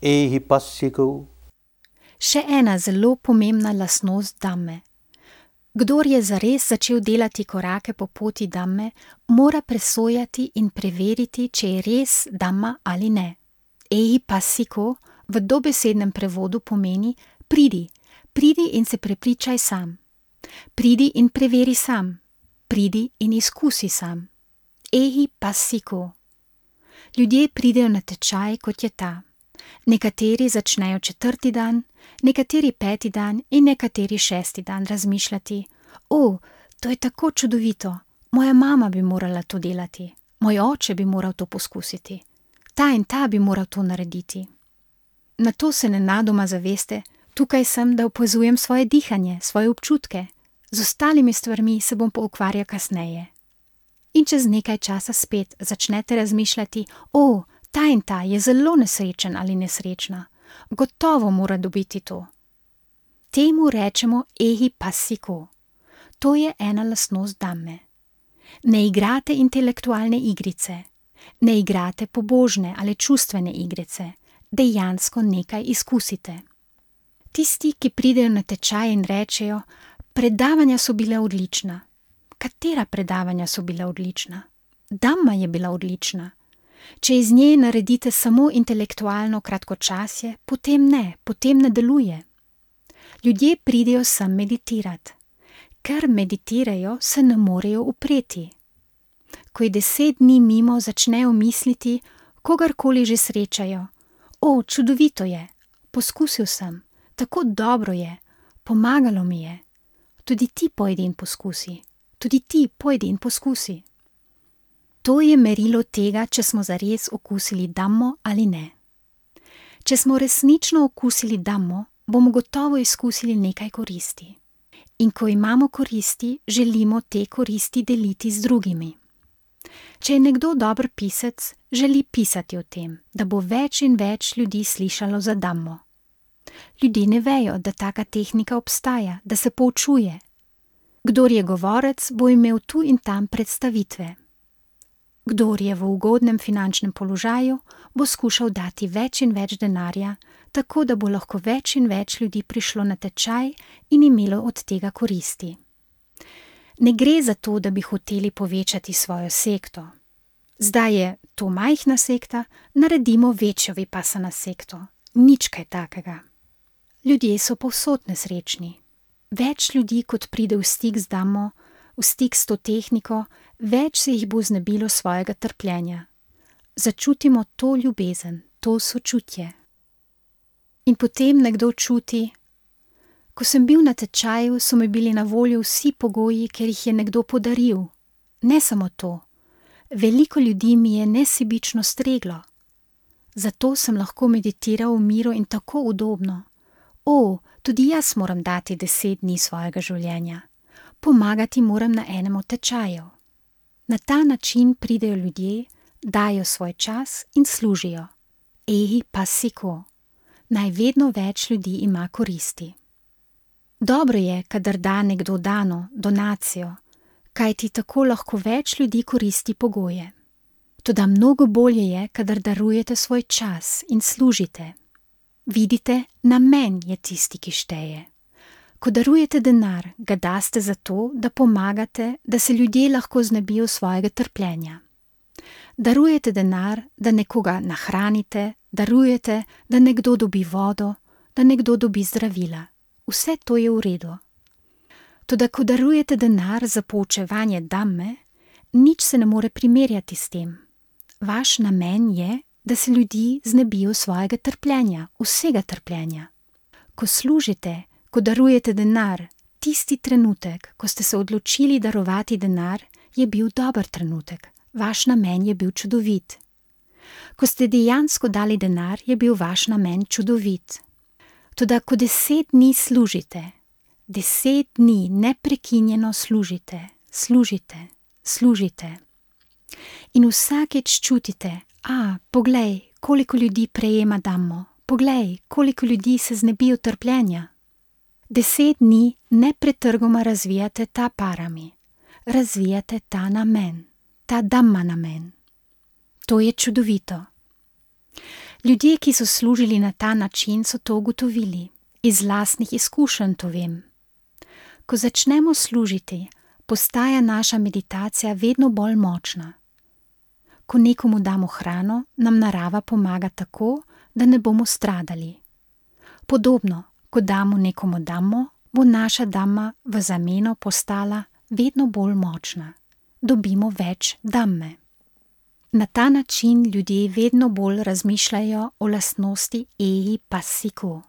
Ehipassiko. Še ena zelo pomembna lastnost Dhamme. Kdor je zares začel delati korake po poti Dhamme, mora presojati in preveriti, če je res Dhamma ali ne. Ehipassiko v dobesednem prevodu pomeni pridi in se prepričaj sam. Pridi in preveri sam. Pridi in izkusi sam. Ehipassiko. Ljudje pridejo na tečaj, kot je ta. Nekateri začnejo 4. dan, nekateri 5. dan in nekateri 6. dan razmišljati: to je tako čudovito, moja mama bi morala to delati, moj oče bi moral to poskusiti, ta in ta bi moral to narediti. Nato se nenadoma zaveste: tukaj sem, da opazujem svoje dihanje, svoje občutke, z ostalimi stvarmi se bom pa ukvarjal kasneje. In čez nekaj časa spet začnete razmišljati: ta in ta je zelo nesrečen ali nesrečna, gotovo mora dobiti to. Temu rečemo ehipassiko. To je ena lastnost Dhamme. Ne igrate intelektualne igrice, ne igrate pobožne ali čustvene igrice, dejansko nekaj izkusite. Tisti, ki pridejo na tečaj in rečejo: predavanja so bile odlična. Katera predavanja so bile odlična? Dhamma je bila odlična. Če iz nje naredite samo intelektualno kratkočasje, potem ne deluje. Ljudje pridejo sem meditirati. Ker meditirajo, se ne morejo upreti. Ko je 10 dni mimo, začnejo misliti, kogarkoli že srečajo: čudovito je, poskusil sem, tako dobro je, pomagalo mi je. Tudi ti pojdi in poskusi. To je merilo tega, če smo zares okusili Dhammo ali ne. Če smo resnično okusili Dhammo, bomo gotovo izkusili nekaj koristi. In ko imamo koristi, želimo te koristi deliti z drugimi. Če je nekdo dober pisec, želi pisati o tem, da bo več in več ljudi slišalo za Dhammo. Ljudje ne vejo, da taka tehnika obstaja, da se poučuje. Kdor je govorec, bo imel tu in tam predstavitve. Kdor je v ugodnem finančnem položaju, bo skušal dati več in več denarja, tako da bo lahko več in več ljudi prišlo na tečaj in imelo od tega koristi. Ne gre za to, da bi hoteli povečati svojo sekto. Zdaj je to majhna sekta, naredimo večjo vipassana sekto. Nič kaj takega. Ljudje so povsod nesrečni. Več ljudi, kot pride v stik z Dhammo, v stik s to tehniko, več se jih bo znebilo svojega trpljenja. Začutimo to ljubezen, to sočutje. In potem nekdo čuti: ko sem bil na tečaju, so mi bili na voljo vsi pogoji, ker jih je nekdo podaril. Ne samo to, veliko ljudi mi je nesebično streglo. Zato sem lahko meditiral v miru in tako udobno. Tudi jaz moram dati 10 dni svojega življenja. Pomagati moram na enem od tečajev. Na ta način pridejo ljudje, dajo svoj čas in služijo. Ehi passiko. Naj vedno več ljudi ima koristi. Dobro je, kadar da nekdo dano, donacijo, kajti tako lahko več ljudi koristi pogoje. Toda mnogo bolje je, kadar darujete svoj čas in služite. Vidite, namen je tisti, ki šteje. Ko darujete denar, ga daste zato, da pomagate, da se ljudje lahko znebijo svojega trpljenja. Darujete denar, da nekoga nahranite, darujete, da nekdo dobi vodo, da nekdo dobi zdravila. Vse to je v redu. Toda ko darujete denar za poučevanje Dhamme, nič se ne more primerjati s tem. Vaš namen je, da se ljudi znebijo svojega trpljenja, vsega trpljenja. Ko služite, ko darujete denar, tisti trenutek, ko ste se odločili darovati denar, je bil dober trenutek. Vaš namen je bil čudovit. Ko ste dejansko dali denar, je bil vaš namen čudovit. Toda ko 10 dni služite, 10 dni neprekinjeno služite, služite. In vsakeč čutite: poglej, koliko ljudi prejema Dhammo, poglej, koliko ljudi se znebijo trpljenja. 10 dni nepretrgoma razvijate ta parami, razvijate ta namen, ta Dhamma namen. To je čudovito. Ljudje, ki so služili na ta način, so to ugotovili. Iz lastnih izkušenj to vem. Ko začnemo služiti, postaja naša meditacija vedno bolj močna. Ko nekomu damo hrano, nam narava pomaga tako, da ne bomo stradali. Podobno, ko damo nekomu Dhammo, bo naša Dhamma v zameno postala vedno bolj močna. Dobimo več Dhamme. Na ta način ljudje vedno bolj razmišljajo o lastnosti ehi passiko.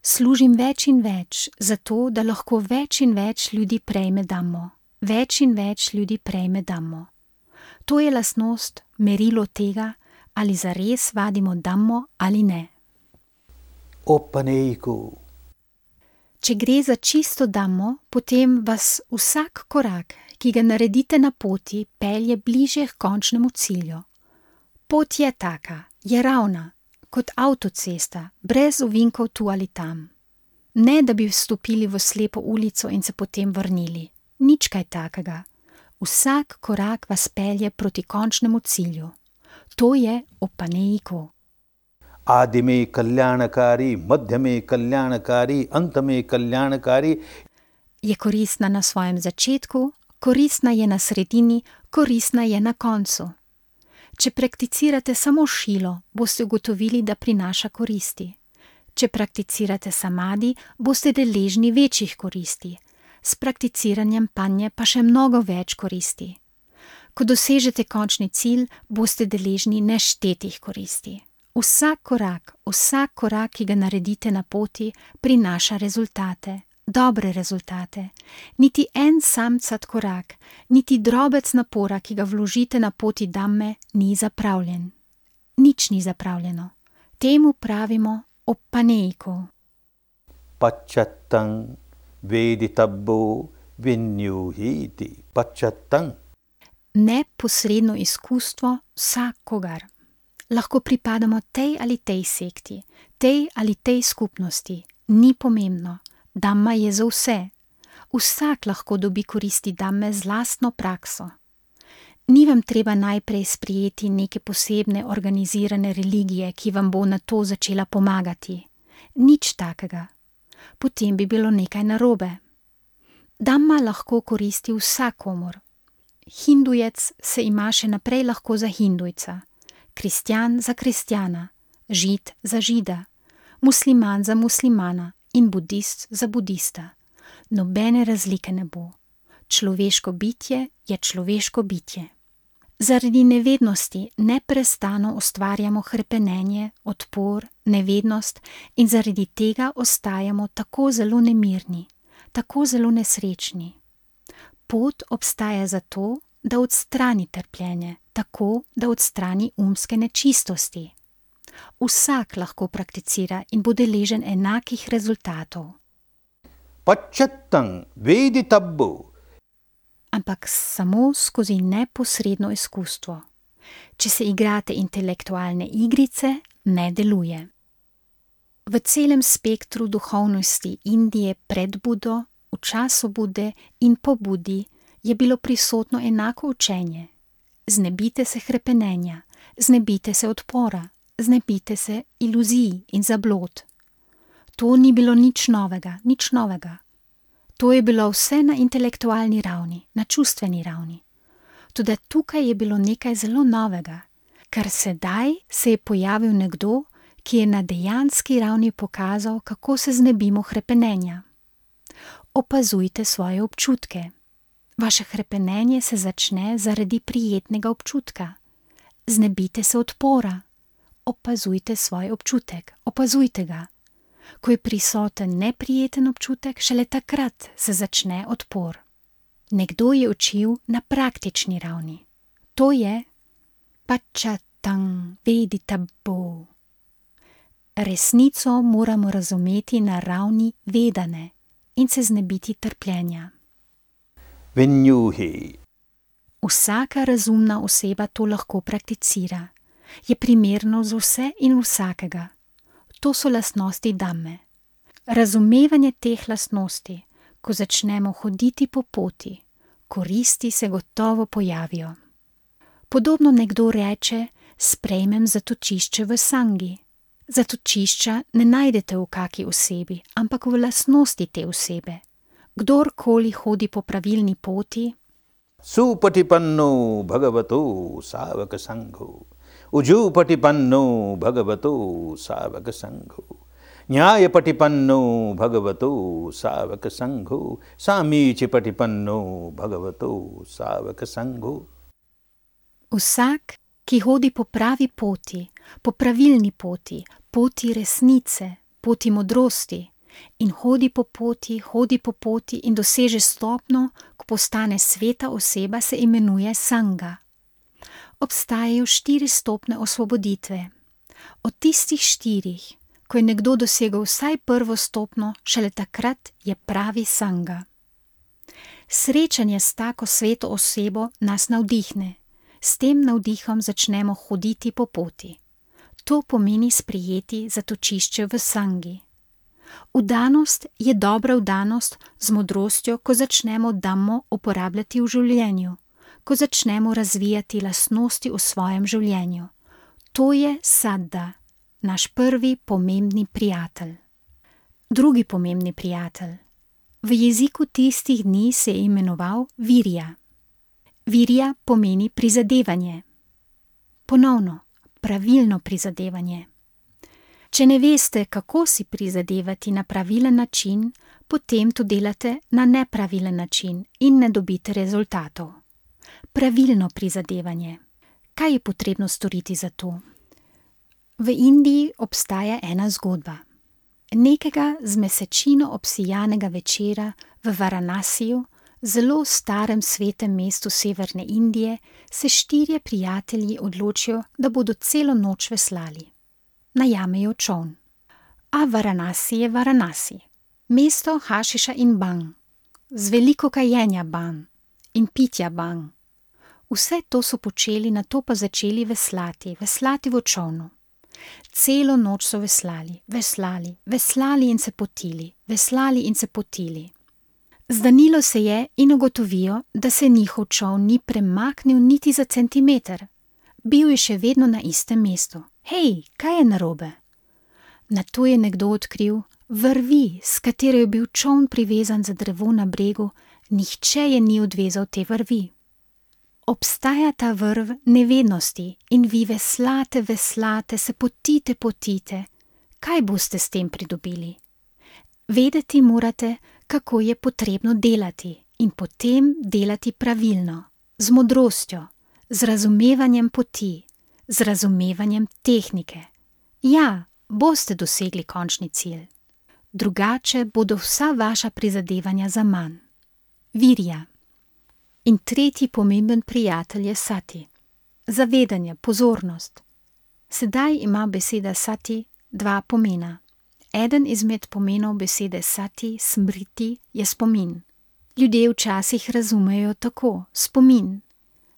Služim več in več, zato da lahko več in več ljudi prejme Dhammo. Več in več ljudi prejme Dhammo. To je lastnost, merilo tega, ali zares vadimo Dhammo ali ne. Oppaneiku. Če gre za čisto Dhammo, potem vas vsak korak, ki ga naredite na poti, pelje bliže k končnemu cilju. Pot je taka, je ravna, kot avtocesta, brez ovinkov tu ali tam. Ne, da bi vstopili v slepo ulico in se potem vrnili. Nič kaj takega. Vsak korak vas pelje proti končnemu cilju. To je oppaneiku. Adime kalyanakari, madhyame kalyanakari, antame kalyanakari. Je koristna na svojem začetku, koristna je na sredini, koristna je na koncu. Če prakticirate samo šilo, boste ugotovili, da prinaša koristi. Če prakticirate samadi, boste deležni večjih koristi. S prakticiranjem panje pa še mnogo več koristi. Ko dosežete končni cilj, boste deležni neštetih koristi. Vsak korak, ki ga naredite na poti, prinaša rezultate, dobre rezultate. Niti en samcat korak, niti drobec napora, ki ga vložite na poti Dhamme, ni zapravljen. Nič ni zapravljeno. Temu pravimo oppaneiku. Pacchattam veditabbo vinyuhiti pacchattam. Neposredno izkustvo vsakogar. Lahko pripadamo tej ali tej sekti, tej ali tej skupnosti. Ni pomembno. Dhamma je za vse. Vsak lahko dobi koristi dhamme z lastno prakso. Ni vam treba najprej sprijeti neke posebne organizirane religije, ki vam bo na to začela pomagati. Nič takega. Potem bi bilo nekaj narobe. Dhamma lahko koristi vsakomur. Hindujec se ima še naprej lahko za hindujca, kristjan za kristjana, žid za žida, musliman za muslimana in budist za budista. Nobene razlike ne bo. Človeško bitje je človeško bitje. Zaradi nevednosti neprestano ustvarjamo hrepenenje, odpor, nevednost in zaradi tega ostajamo tako zelo nemirni, tako zelo nesrečni. Pot obstaja zato, da odstrani trpljenje, tako da odstrani umske nečistosti. Vsak lahko prakticira in bo deležen enakih rezultatov. Pacchattam veditabbo. Ampak samo skozi neposredno izkustvo. Če se igrate intelektualne igrice, ne deluje. V celem spektru duhovnosti Indije pred Budo, v času Bude in po Budi je bilo prisotno enako učenje. Znebite se hrepenenja, znebite se odpora, znebite se iluzij in zablod. To ni bilo nič novega, nič novega. To je bilo vse na intelektualni ravni, na čustveni ravni. Toda tukaj je bilo nekaj zelo novega, ker sedaj se je pojavil nekdo, ki je na dejanski ravni pokazal, kako se znebimo hrepenenja. Opazujte svoje občutke. Vaše hrepenenje se začne zaradi prijetnega občutka. Znebite se odpora. Opazujte svoj občutek, opazujte ga. Ko je prisoten neprijeten občutek, šele takrat se začne odpor. Nekdo je učil na praktični ravni. To je pacchattam veditabbo. Resnico moramo razumeti na ravni vedane in se znebiti trpljenja. Vinyuhi. Vsaka razumna oseba to lahko prakticira. Je primerno za vse in vsakega. To so lastnosti dhamme. Razumevanje teh lastnosti, ko začnemo hoditi po poti, koristi se gotovo pojavijo. Podobno nekdo reče, sprejmem zatočišče v sangi. Zatočišča ne najdete v kaki osebi, ampak v lastnosti te osebe. Kdorkoli hodi po pravilni poti, Supatipanno bhagavato savaka sangho. Ujupatipanno bhagavato savaka sangho. Nyayapatipanno bhagavato savaka sangho. Samichipatipanno bhagavato savaka sangho. vsak, ki hodi po pravi poti, po pravilni poti, poti resnice, poti modrosti, in hodi po poti in doseže stopno, ko postane sveta oseba, se imenuje sanga. Obstajajo 4 stopnje osvoboditve. Od tistih 4, ko je nekdo dosegel vsaj prvo stopnjo, šele takrat je pravi sanga. Srečanje s tako sveto osebo nas navdihne. S tem navdihom začnemo hoditi po poti. To pomeni sprejeti zatočišče v sangi. Vdanost je dobra vdanost z modrostjo, ko začnemo dhammo uporabljati v življenju, ko začnemo razvijati lastnosti v svojem življenju. To je saddha, naš prvi pomembni prijatelj. Drugi pomembni prijatelj. V jeziku tistih dni se je imenoval virja. Virja pomeni prizadevanje. Ponovno, pravilno prizadevanje. Če ne veste, kako si prizadevati na pravilen način, potem to delate na nepravilen način in ne dobite rezultatov. Pravilno prizadevanje. Kaj je potrebno storiti za to? V Indiji obstaja ena zgodba. Nekega z mesečino obsijanega večera v Varanasiju, zelo starem svetem mestu severne Indije, se 4 prijatelji odločijo, da bodo celo noč veslali. Najamejo čoln. A Varanasi je Varanasi. Mesto hašiša in bang, z veliko kajenja bang in pitja bang. Vse to so počeli, nato pa začeli veslati v čolnu. Celo noč so veslali in se potili. Zdanilo se je in ugotovijo, da se njihov čoln ni premaknil niti za centimeter. Bil je še vedno na istem mestu. Hej, kaj je narobe? Nato je nekdo odkril vrvi, s katero je bil čoln privezan za drevo na bregu, nihče je ni odvezal te vrvi. Obstaja ta vrv nevednosti in vi veslate, se potite. Kaj boste s tem pridobili? Vedeti morate, kako je potrebno delati in potem delati pravilno, z modrostjo, z razumevanjem poti, z razumevanjem tehnike. Ja, boste dosegli končni cilj. Drugače bodo vsa vaša prizadevanja zaman. Virja. In tretji pomemben prijatelj je sati. Zavedanje, pozornost. Sedaj ima beseda sati dva pomena. Eden izmed pomenov besede sati, smriti, je spomin. Ljudje včasih razumejo tako, spomin.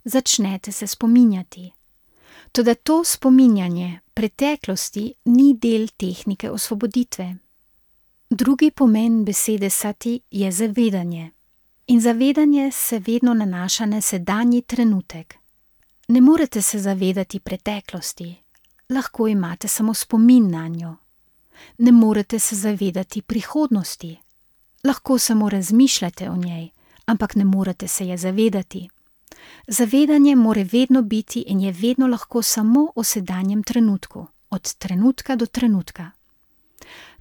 Začnete se spominjati. Toda to spominjanje preteklosti ni del tehnike osvoboditve. Drugi pomen besede sati je zavedanje. In zavedanje se vedno nanaša na sedanji trenutek. Ne morete se zavedati preteklosti, lahko imate samo spomin na njo. Ne morete se zavedati prihodnosti, lahko samo razmišljate o njej, ampak ne morete se je zavedati. Zavedanje more vedno biti in je vedno lahko samo o sedanjem trenutku, od trenutka do trenutka.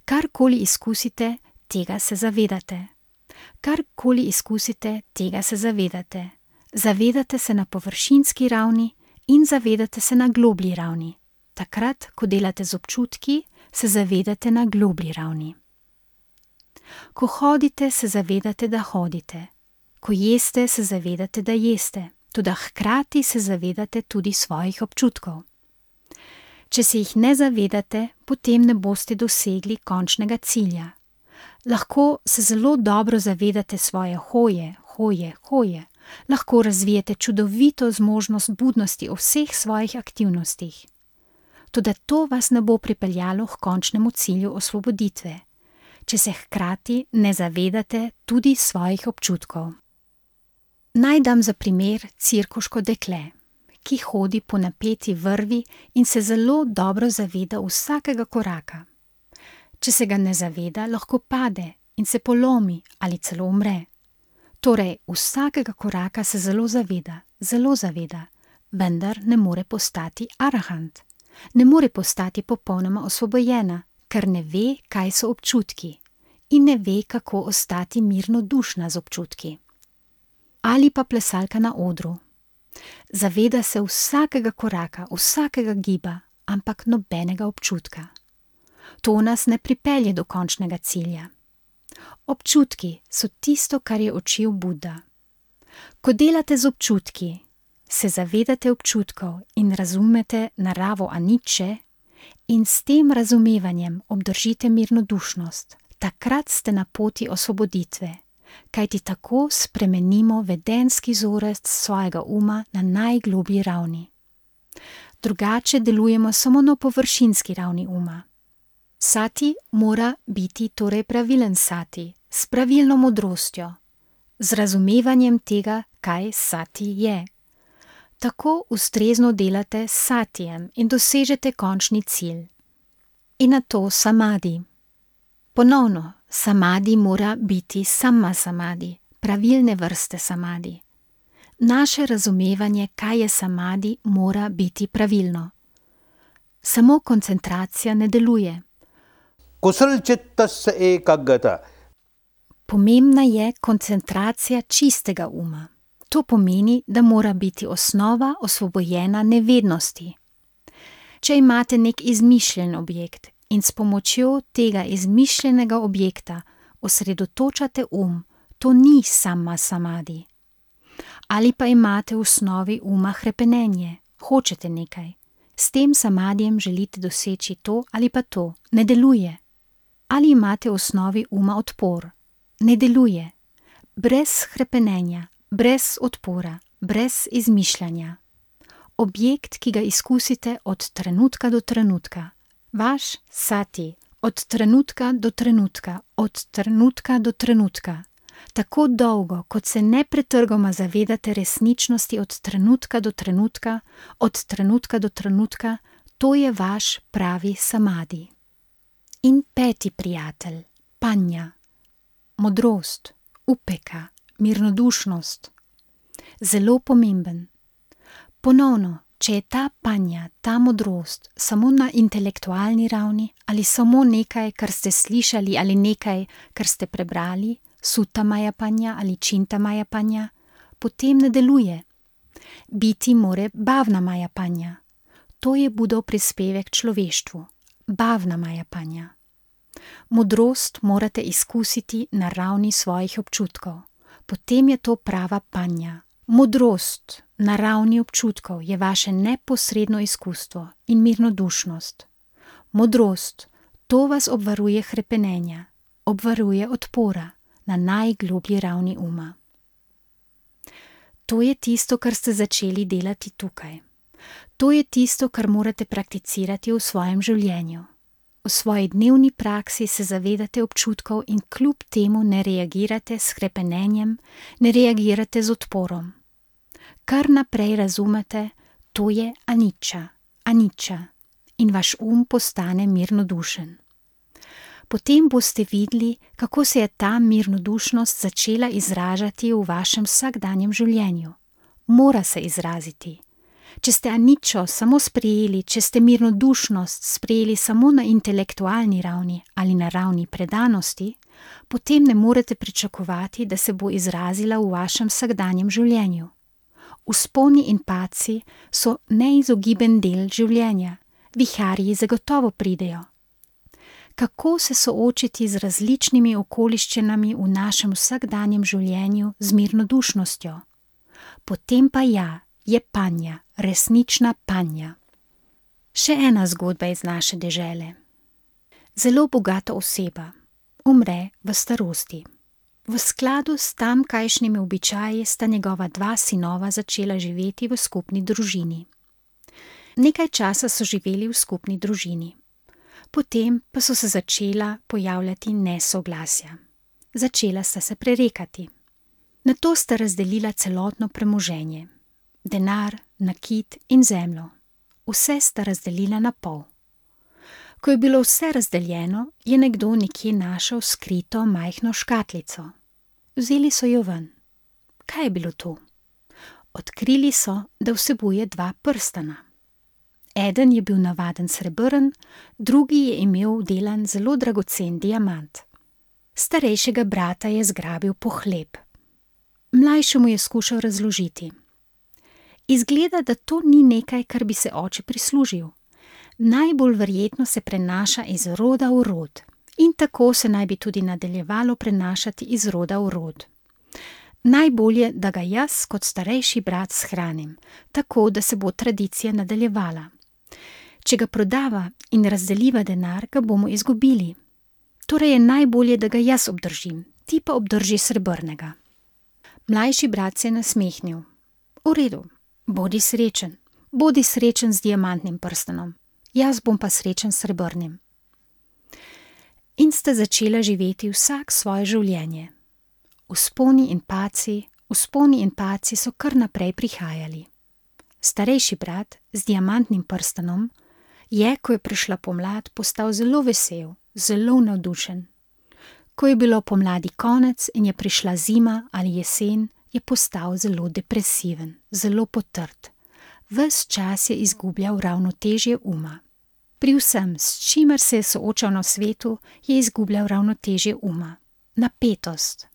Karkoli izkusite, tega se zavedate. Karkoli izkusite, tega se zavedate. Zavedate se na površinski ravni in zavedate se na globlji ravni. Takrat, ko delate z občutki, se zavedate na globlji ravni. Ko hodite, se zavedate, da hodite. Ko jeste, se zavedate, da jeste. Toda hkrati se zavedate tudi svojih občutkov. Če se jih ne zavedate, potem ne boste dosegli končnega cilja. Lahko se zelo dobro zavedate svoje hoje. Lahko razvijete čudovito zmožnost budnosti o vseh svojih aktivnostih. Toda to vas ne bo pripeljalo k končnemu cilju osvoboditve, če se hkrati ne zavedate tudi svojih občutkov. Naj dam za primer cirkuško dekle, ki hodi po napeti vrvi in se zelo dobro zaveda vsakega koraka. Če se ga ne zaveda, lahko pade in se polomi ali celo umre. Torej, vsakega koraka se zelo zaveda, vendar ne more postati arahant. Ne more postati popolnoma osvobojena, ker ne ve, kaj so občutki in ne ve, kako ostati mirnodušna z občutki. Ali pa plesalka na odru. Zaveda se vsakega koraka, vsakega giba, ampak nobenega občutka. To nas ne pripelje do končnega cilja. Občutki so tisto, kar je učil Buda. Ko delate z občutki, se zavedate občutkov in razumete naravo aniče in s tem razumevanjem obdržite mirnodušnost. Takrat ste na poti osvoboditve, kajti tako spremenimo vedenski vzorec svojega uma na najgloblji ravni. Drugače delujemo samo na površinski ravni uma. Sati mora biti torej pravilen sati, s pravilno modrostjo, z razumevanjem tega, kaj sati je. Tako ustrezno delate s satijem in dosežete končni cilj. In nato samadi. Ponovno, samadi mora biti sama samadi, pravilne vrste samadi. Naše razumevanje, kaj je samadi, mora biti pravilno. Samo koncentracija ne deluje. Kusalčittasya ekaggata. Pomembna je koncentracija čistega uma. To pomeni, da mora biti osnova osvobojena nevednosti. Če imate nek izmišljen objekt in s pomočjo tega izmišljenega objekta osredotočate to ni sama samadi. Ali pa imate v osnovi uma hrepenenje, hočete nekaj. S tem samadijem želite doseči to ali pa to, ne deluje. Ali imate v osnovi uma odpor? Ne deluje. Brez hrepenenja, brez odpora, brez izmišljanja. Objekt, ki ga izkusite od trenutka do trenutka. Vaš sati, od trenutka do trenutka, od trenutka do trenutka. Tako dolgo, kot se nepretrgoma zavedate resničnosti od trenutka do trenutka, od trenutka do trenutka, to je vaš pravi samadi. In 5. prijatelj, panja, modrost, upeka, mirnodušnost. Zelo pomemben. Ponovno, če je ta panja, ta modrost samo na intelektualni ravni ali samo nekaj, kar ste slišali ali nekaj, kar ste prebrali, Sutta Maya Panja ali Činta Maya Panja, potem ne deluje. Biti more Bhavna Maya Panja. To je Budov prispevek človeštvu. Bhavna Maya Panja. Modrost morate izkusiti na ravni svojih občutkov. Potem je to prava panja. Modrost na ravni občutkov je vaše neposredno izkustvo in mirnodušnost. Modrost, to vas obvaruje hrepenenja, obvaruje odpora na najgloblji ravni uma. To je tisto, kar ste začeli delati tukaj. To je tisto, kar morate prakticirati v svojem življenju. V svoji dnevni praksi se zavedate občutkov in kljub temu ne reagirate s hrepenenjem, ne reagirate z odporom. Kar naprej razumete, to je anicca, anicca, in vaš postane mirnodušen. Potem boste videli, kako se je ta mirnodušnost začela izražati v vašem vsakdanjem življenju. Mora se izraziti. Če ste anicco samo sprejeli, če ste mirnodušnost sprejeli samo na intelektualni ravni ali na ravni predanosti, potem ne morete pričakovati, da se bo izrazila v vašem vsakdanjem življenju. Vzponi in padci so neizogiben del življenja, viharji zagotovo pridejo. Kako se soočiti z različnimi okoliščinami v našem vsakdanjem življenju z mirnodušnostjo? Potem pa je panja, resnična panja. Še ena zgodba iz naše dežele. Zelo bogata oseba umre v starosti. V skladu s tamkajšnjimi običaji sta njegova 2 sinova začela živeti v skupni družini. Nekaj časa so živeli v skupni družini. Potem pa so se začela pojavljati nesoglasja. Začela sta se prerekati. Nato sta razdelila celotno premoženje. Denar, nakit in zemljo. Vse sta razdelila na pol. Ko je bilo vse razdeljeno, je nekdo nekje našel skrito majhno škatlico. Vzeli so jo ven. Kaj je bilo to? Odkrili so, da vsebuje 2 prstana. Eden je bil navaden srebrn, drugi je imel vdelan zelo dragocen diamant. Starejšega brata je zgrabil pohlep. Mlajšemu je skušal razložiti. Izgleda, da to ni nekaj, kar bi se oče prislužil. Najbolj verjetno se prenaša iz roda v rod in tako se naj bi tudi nadaljevalo prenašati iz roda v rod. Najbolje, da ga jaz kot starejši brat shranim, tako da se bo tradicija nadaljevala. Če ga prodava in razdeliva denar, ga bomo izgubili. Torej je najbolje, da ga jaz obdržim, ti pa obdrži srebrnega. Mlajši brat se je nasmehnil. V redu, bodi srečen z diamantnim prstanom, jaz bom pa srečen s srebrnim. In sta začela živeti vsak svoje življenje. Vzponi in padci so kar naprej prihajali. Starejši brat z diamantnim prstanom je, ko je prišla pomlad, postal zelo vesel, zelo navdušen. Ko je bilo pomladi konec in je prišla zima ali jesen, je postal zelo depresiven, zelo potrt. Ves čas je izgubljal ravnotežje uma. Pri vsem, s čimer se je soočal na svetu, je izgubljal ravnotežje uma.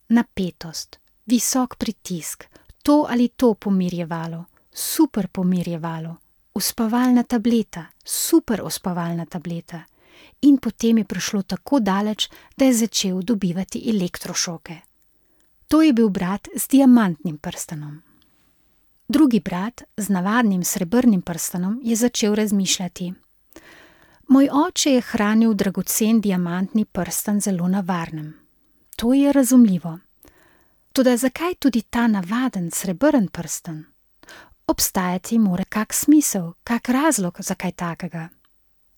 Napetost, visok pritisk, to ali to pomirjevalo, super pomirjevalo, uspavalna tableta, super uspavalna tableta. In potem je prišlo tako daleč, da je začel dobivati elektrošoke. To je bil brat z diamantnim prstanom. Drugi brat z navadnim srebrnim prstanom je začel razmišljati. Moj oče je hranil dragocen diamantni prstan zelo na varnem. To je razumljivo. Toda zakaj tudi ta navaden srebrn prstan? Obstajati mora kak smisel, kak razlog za kaj takega.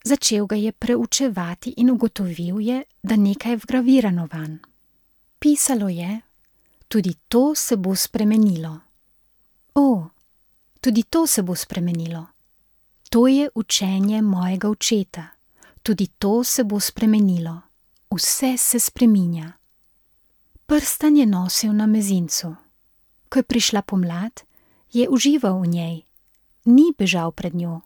Začel ga je preučevati in ugotovil je, da nekaj je vgravirano vanj. Pisalo je: tudi to se bo spremenilo. O, tudi to se bo spremenilo. To je učenje mojega očeta. Tudi to se bo spremenilo. Vse se spreminja. Prstan je nosil na mezincu. Ko je prišla pomlad, je užival v njej. Ni bežal pred njo.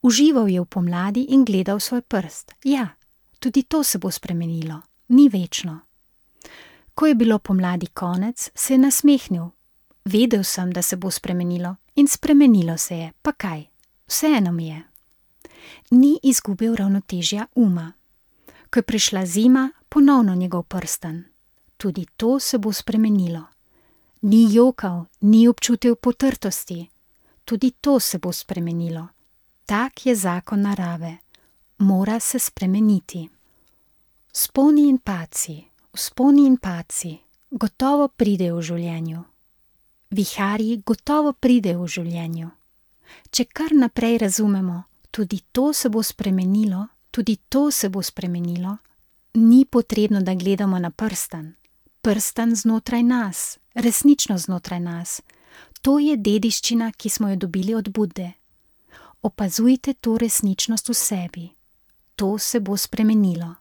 Užival je v pomladi in gledal svoj prst. Ja, tudi to se bo spremenilo. Ni večno. Ko je bilo pomladi konec, se je nasmehnil. Vedel sem, da se bo spremenilo, in spremenilo se je, pa kaj? Vseeno mi je. Ni izgubil ravnotežja uma. Ko je prišla zima, ponovno njegov prstan. Tudi to se bo spremenilo. Ni jokal, ni občutil potrtosti. Tudi to se bo spremenilo. Tak je zakon narave. Mora se spremeniti. Vzponi in padci, gotovo pridejo v življenju. Viharji gotovo pridejo v življenju. Če kar naprej razumemo, tudi to se bo spremenilo, tudi to se bo spremenilo, ni potrebno, da gledamo na prstan. Prstan znotraj nas, resnično znotraj nas. To je dediščina, ki smo jo dobili od Budde. Opazujte to resničnost v sebi. To se bo spremenilo.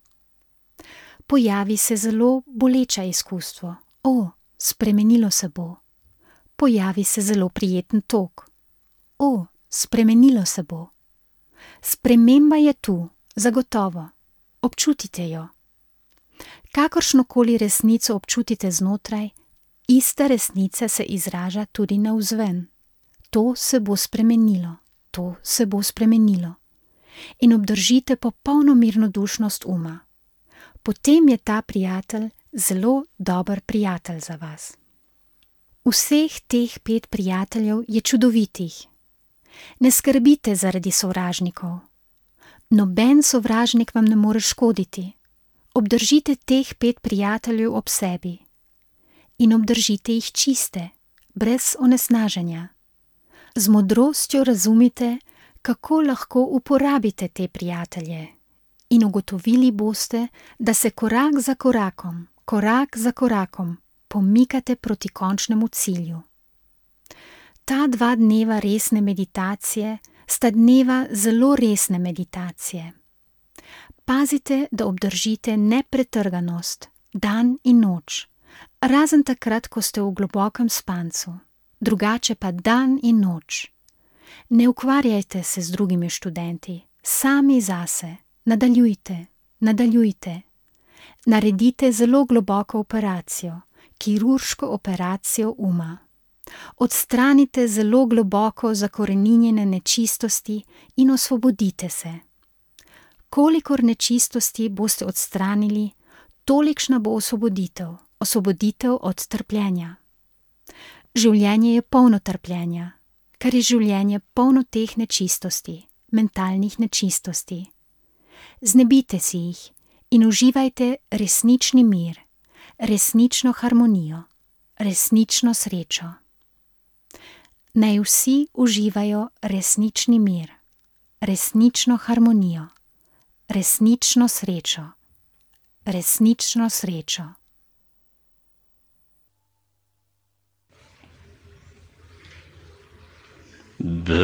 Pojavi se zelo boleče izkustvo. O, spremenilo se bo. Pojavi se zelo prijeten tok. O, spremenilo se bo. Sprememba je tu, zagotovo. Občutite jo. Kakršnokoli resnico občutite znotraj, ista resnica se izraža tudi navzven. To se bo spremenilo. To se bo spremenilo. In obdržite popolno mirnodušnost uma. Potem je ta prijatelj zelo dober prijatelj za vas. Vseh teh 5 prijateljev je čudovitih. Ne skrbite zaradi sovražnikov. Noben sovražnik vam ne more škoditi. Obdržite teh 5 prijateljev ob sebi. In obdržite jih čiste, brez onesnaženja. Z modrostjo razumite, kako lahko uporabite te prijatelje. In ugotovili boste, da se korak za korakom pomikate proti končnemu cilju. Ta 2 dneva resne meditacije sta dneva zelo resne meditacije. Pazite, da obdržite nepretrganost, dan in noč, razen takrat, ko ste v globokem spancu, drugače pa dan in noč. Ne ukvarjajte se z drugimi študenti, sami zase, nadaljujte. Naredite zelo globoko operacijo, kirurško operacijo uma. Odstranite zelo globoko zakoreninjene nečistosti in osvobodite se. Kolikor nečistosti boste odstranili, tolikšna bo osvoboditev od trpljenja. Življenje je polno trpljenja, ker je življenje polno teh nečistosti, mentalnih nečistosti. Znebite si jih in uživajte resnični mir, resnično harmonijo, resnično srečo. Naj vsi uživajo resnični mir, resnično harmonijo, resnično srečo, resnično srečo. Bhavad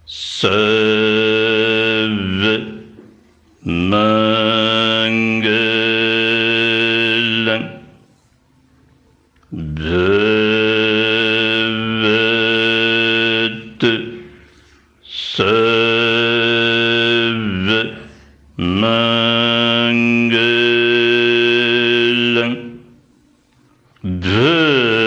Sarva Mangalam Bhavad Sarva Mangalam Bhavad